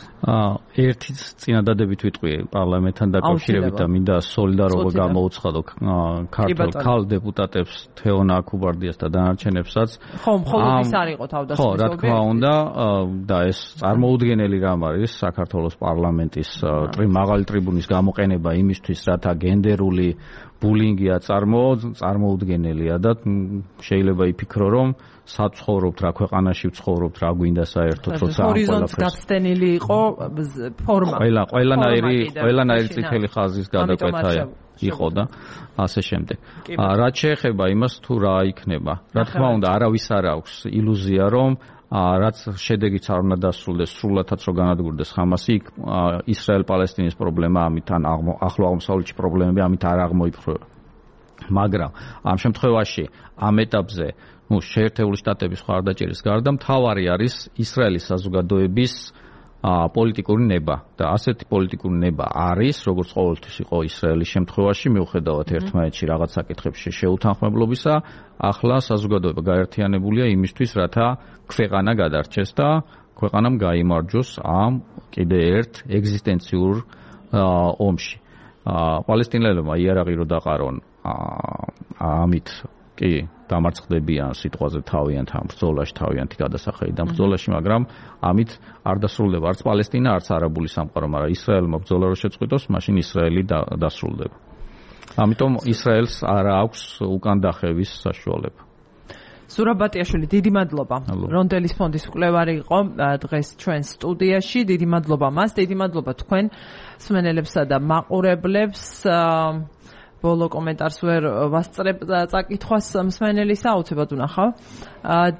ერთიც წინადადებით ვიტყვი პარლამენტთან დაკავშირებით და მინდა სოლიდარობა გამოუცხადო ქართულ დეპუტატებს თეონ აქუბარდიას და დანარჩენებსაც. ხო, მხოლოდ ის არ იყო თავდასხმის ობიექტი. ხო, რა თქმა უნდა, და ეს წარმოუდგენელი რამ არის საქართველოს პარლამენტის მაღალი ტრიბუნის გამოყენება იმისთვის, რათა გენდერული ბულინგია წარმოუდგენელია და შეიძლება იფიქრო, რომ საცხოვრობთ რა ქვეყანაში ვცხოვრობთ, რა გვინდა საერთოდ, როცა ამ ჰორიზონტს გაცდენილი იყო ფორმა. ყველანაირი წითელი ხაზის გადაკვეთა იყო და ასე შემდეგ. რაც შეეხება იმას თუ რა იქნება, რა თქმა უნდა, არავის არ აქვს ილუზია, რომ რაც შედეგიც არ უნდა დასრულდეს, სრულადაც რო განადგურდეს ხამასი, იქ ისრაელ-პალესტინის პრობლემა ამით ან ახლო აღმოსავლეთში პრობლემები ამით არ აღმოიფრქვევა. მაგრამ ამ შემთხვევაში ამ ეტაპზე, შეერთებული შტატების მხარდაჭერის გარდა მთავარი არის ისრაელის საზოგადოების პოლიტიკური ნება და ასეთი პოლიტიკური ნება არის, როგორც ყოველთვის იყო ისრაელის შემთხვევაში, მიუხედავად ერთმანეთში რაღაც საკითხებში შეუთანხმებლობისა, ახლა საზოგადოება გაერთიანებულია იმისთვის, რათა ქვეყანა გადარჩეს და ქვეყანამ გაიმარჯვოს ამ კიდე ერთ ეგზისტენციურ ომში. პალესტინელებმა იარაღი რო დაყარონ, ამით კი დამარცხდებიან სიტყვაზე თავიანთ ამ ბრძოლაში, თავიანთი გადასახადიდან ბრძოლაში, მაგრამ ამით არ დასრულდება არც პალესტინა, არც არაბული სამყარო, მაგრამ ისრაელმა ბრძოლა რო შეწყვიტოს, მაშინ ისრაელი დასრულდება. ამიტომ ისრაელს არ აქვს უკან დახევის საშუალება. სურაბ ბატიაშვილი, დიდი მადლობა. რონდელის ფონდის მკვლევარი იყო დღეს ჩვენ სტუდიაში. დიდი მადლობა მას, დიდი მადლობა თქვენ მსმენელებსა და მაყურებლებს. ბოლო კომენტარს ვერ ვასწრებ წაკითხვას მსმენელის აუცილებლად ვნახავ.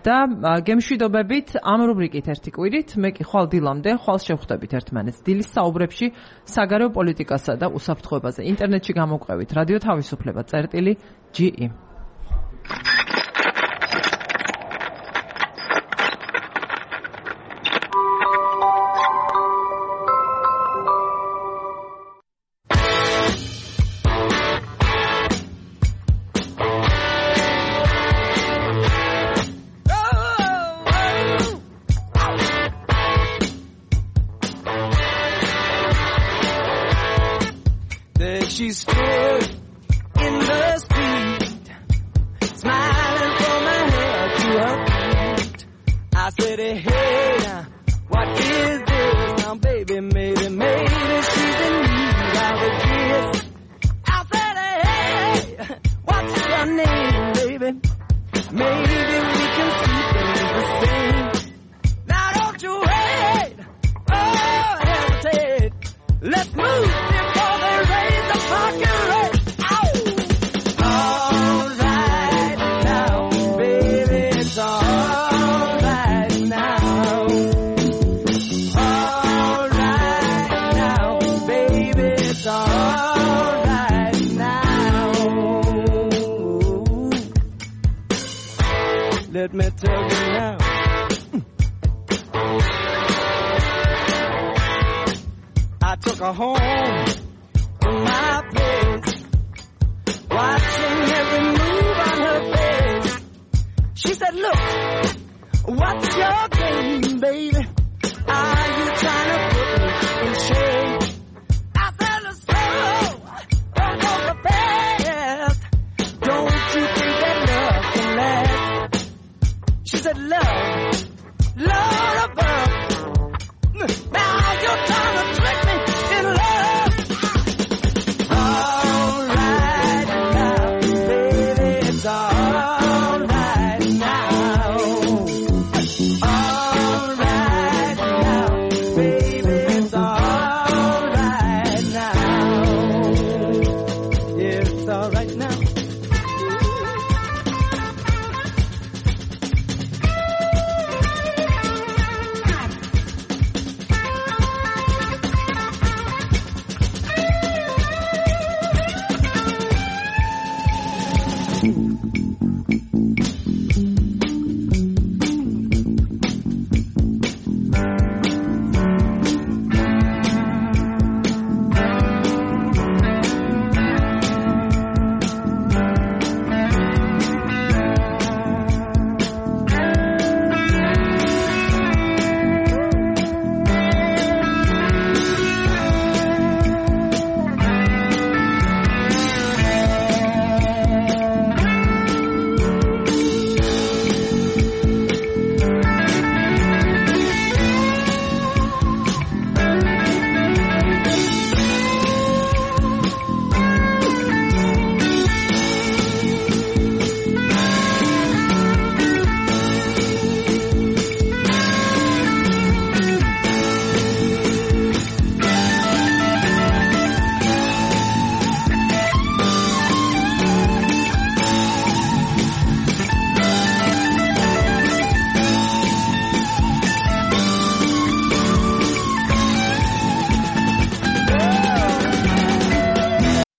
და გემშვიდობებით ამ რუბრიკით ერთი კვირით, მე კი ხვალ დილამდე, ხვალ შევხვდებით ერთმანეთს დილის საუბრებში საგარეო პოლიტიკასა და უსაფრთხოებაზე. ინტერნეტში გამოვყევით რადიო თავისუფლება წერტილი.ge. She stood in the street, smiling from her head to her feet. I said, hey, now, what is this? Now, baby, maybe she's in need of a kiss. I said, hey, what's your name, baby? Maybe we can see things the same. Now, don't you wait, hesitate. Let's move before they raise the fucking rate. All right now, baby, it's all right now. All right now, baby, it's all right now. Let me tell you now. I took her home to my place, watching every move on her face. She said, look, what's your game, baby? Are you trying to put me in shame? I said, let's go, don't go so fast. Don't you think that love can last? She said, love above. Now you're trying to trick me in love. All right now, baby, it's all right now. All right now, baby, it's all right now. Yeah, it's all right now.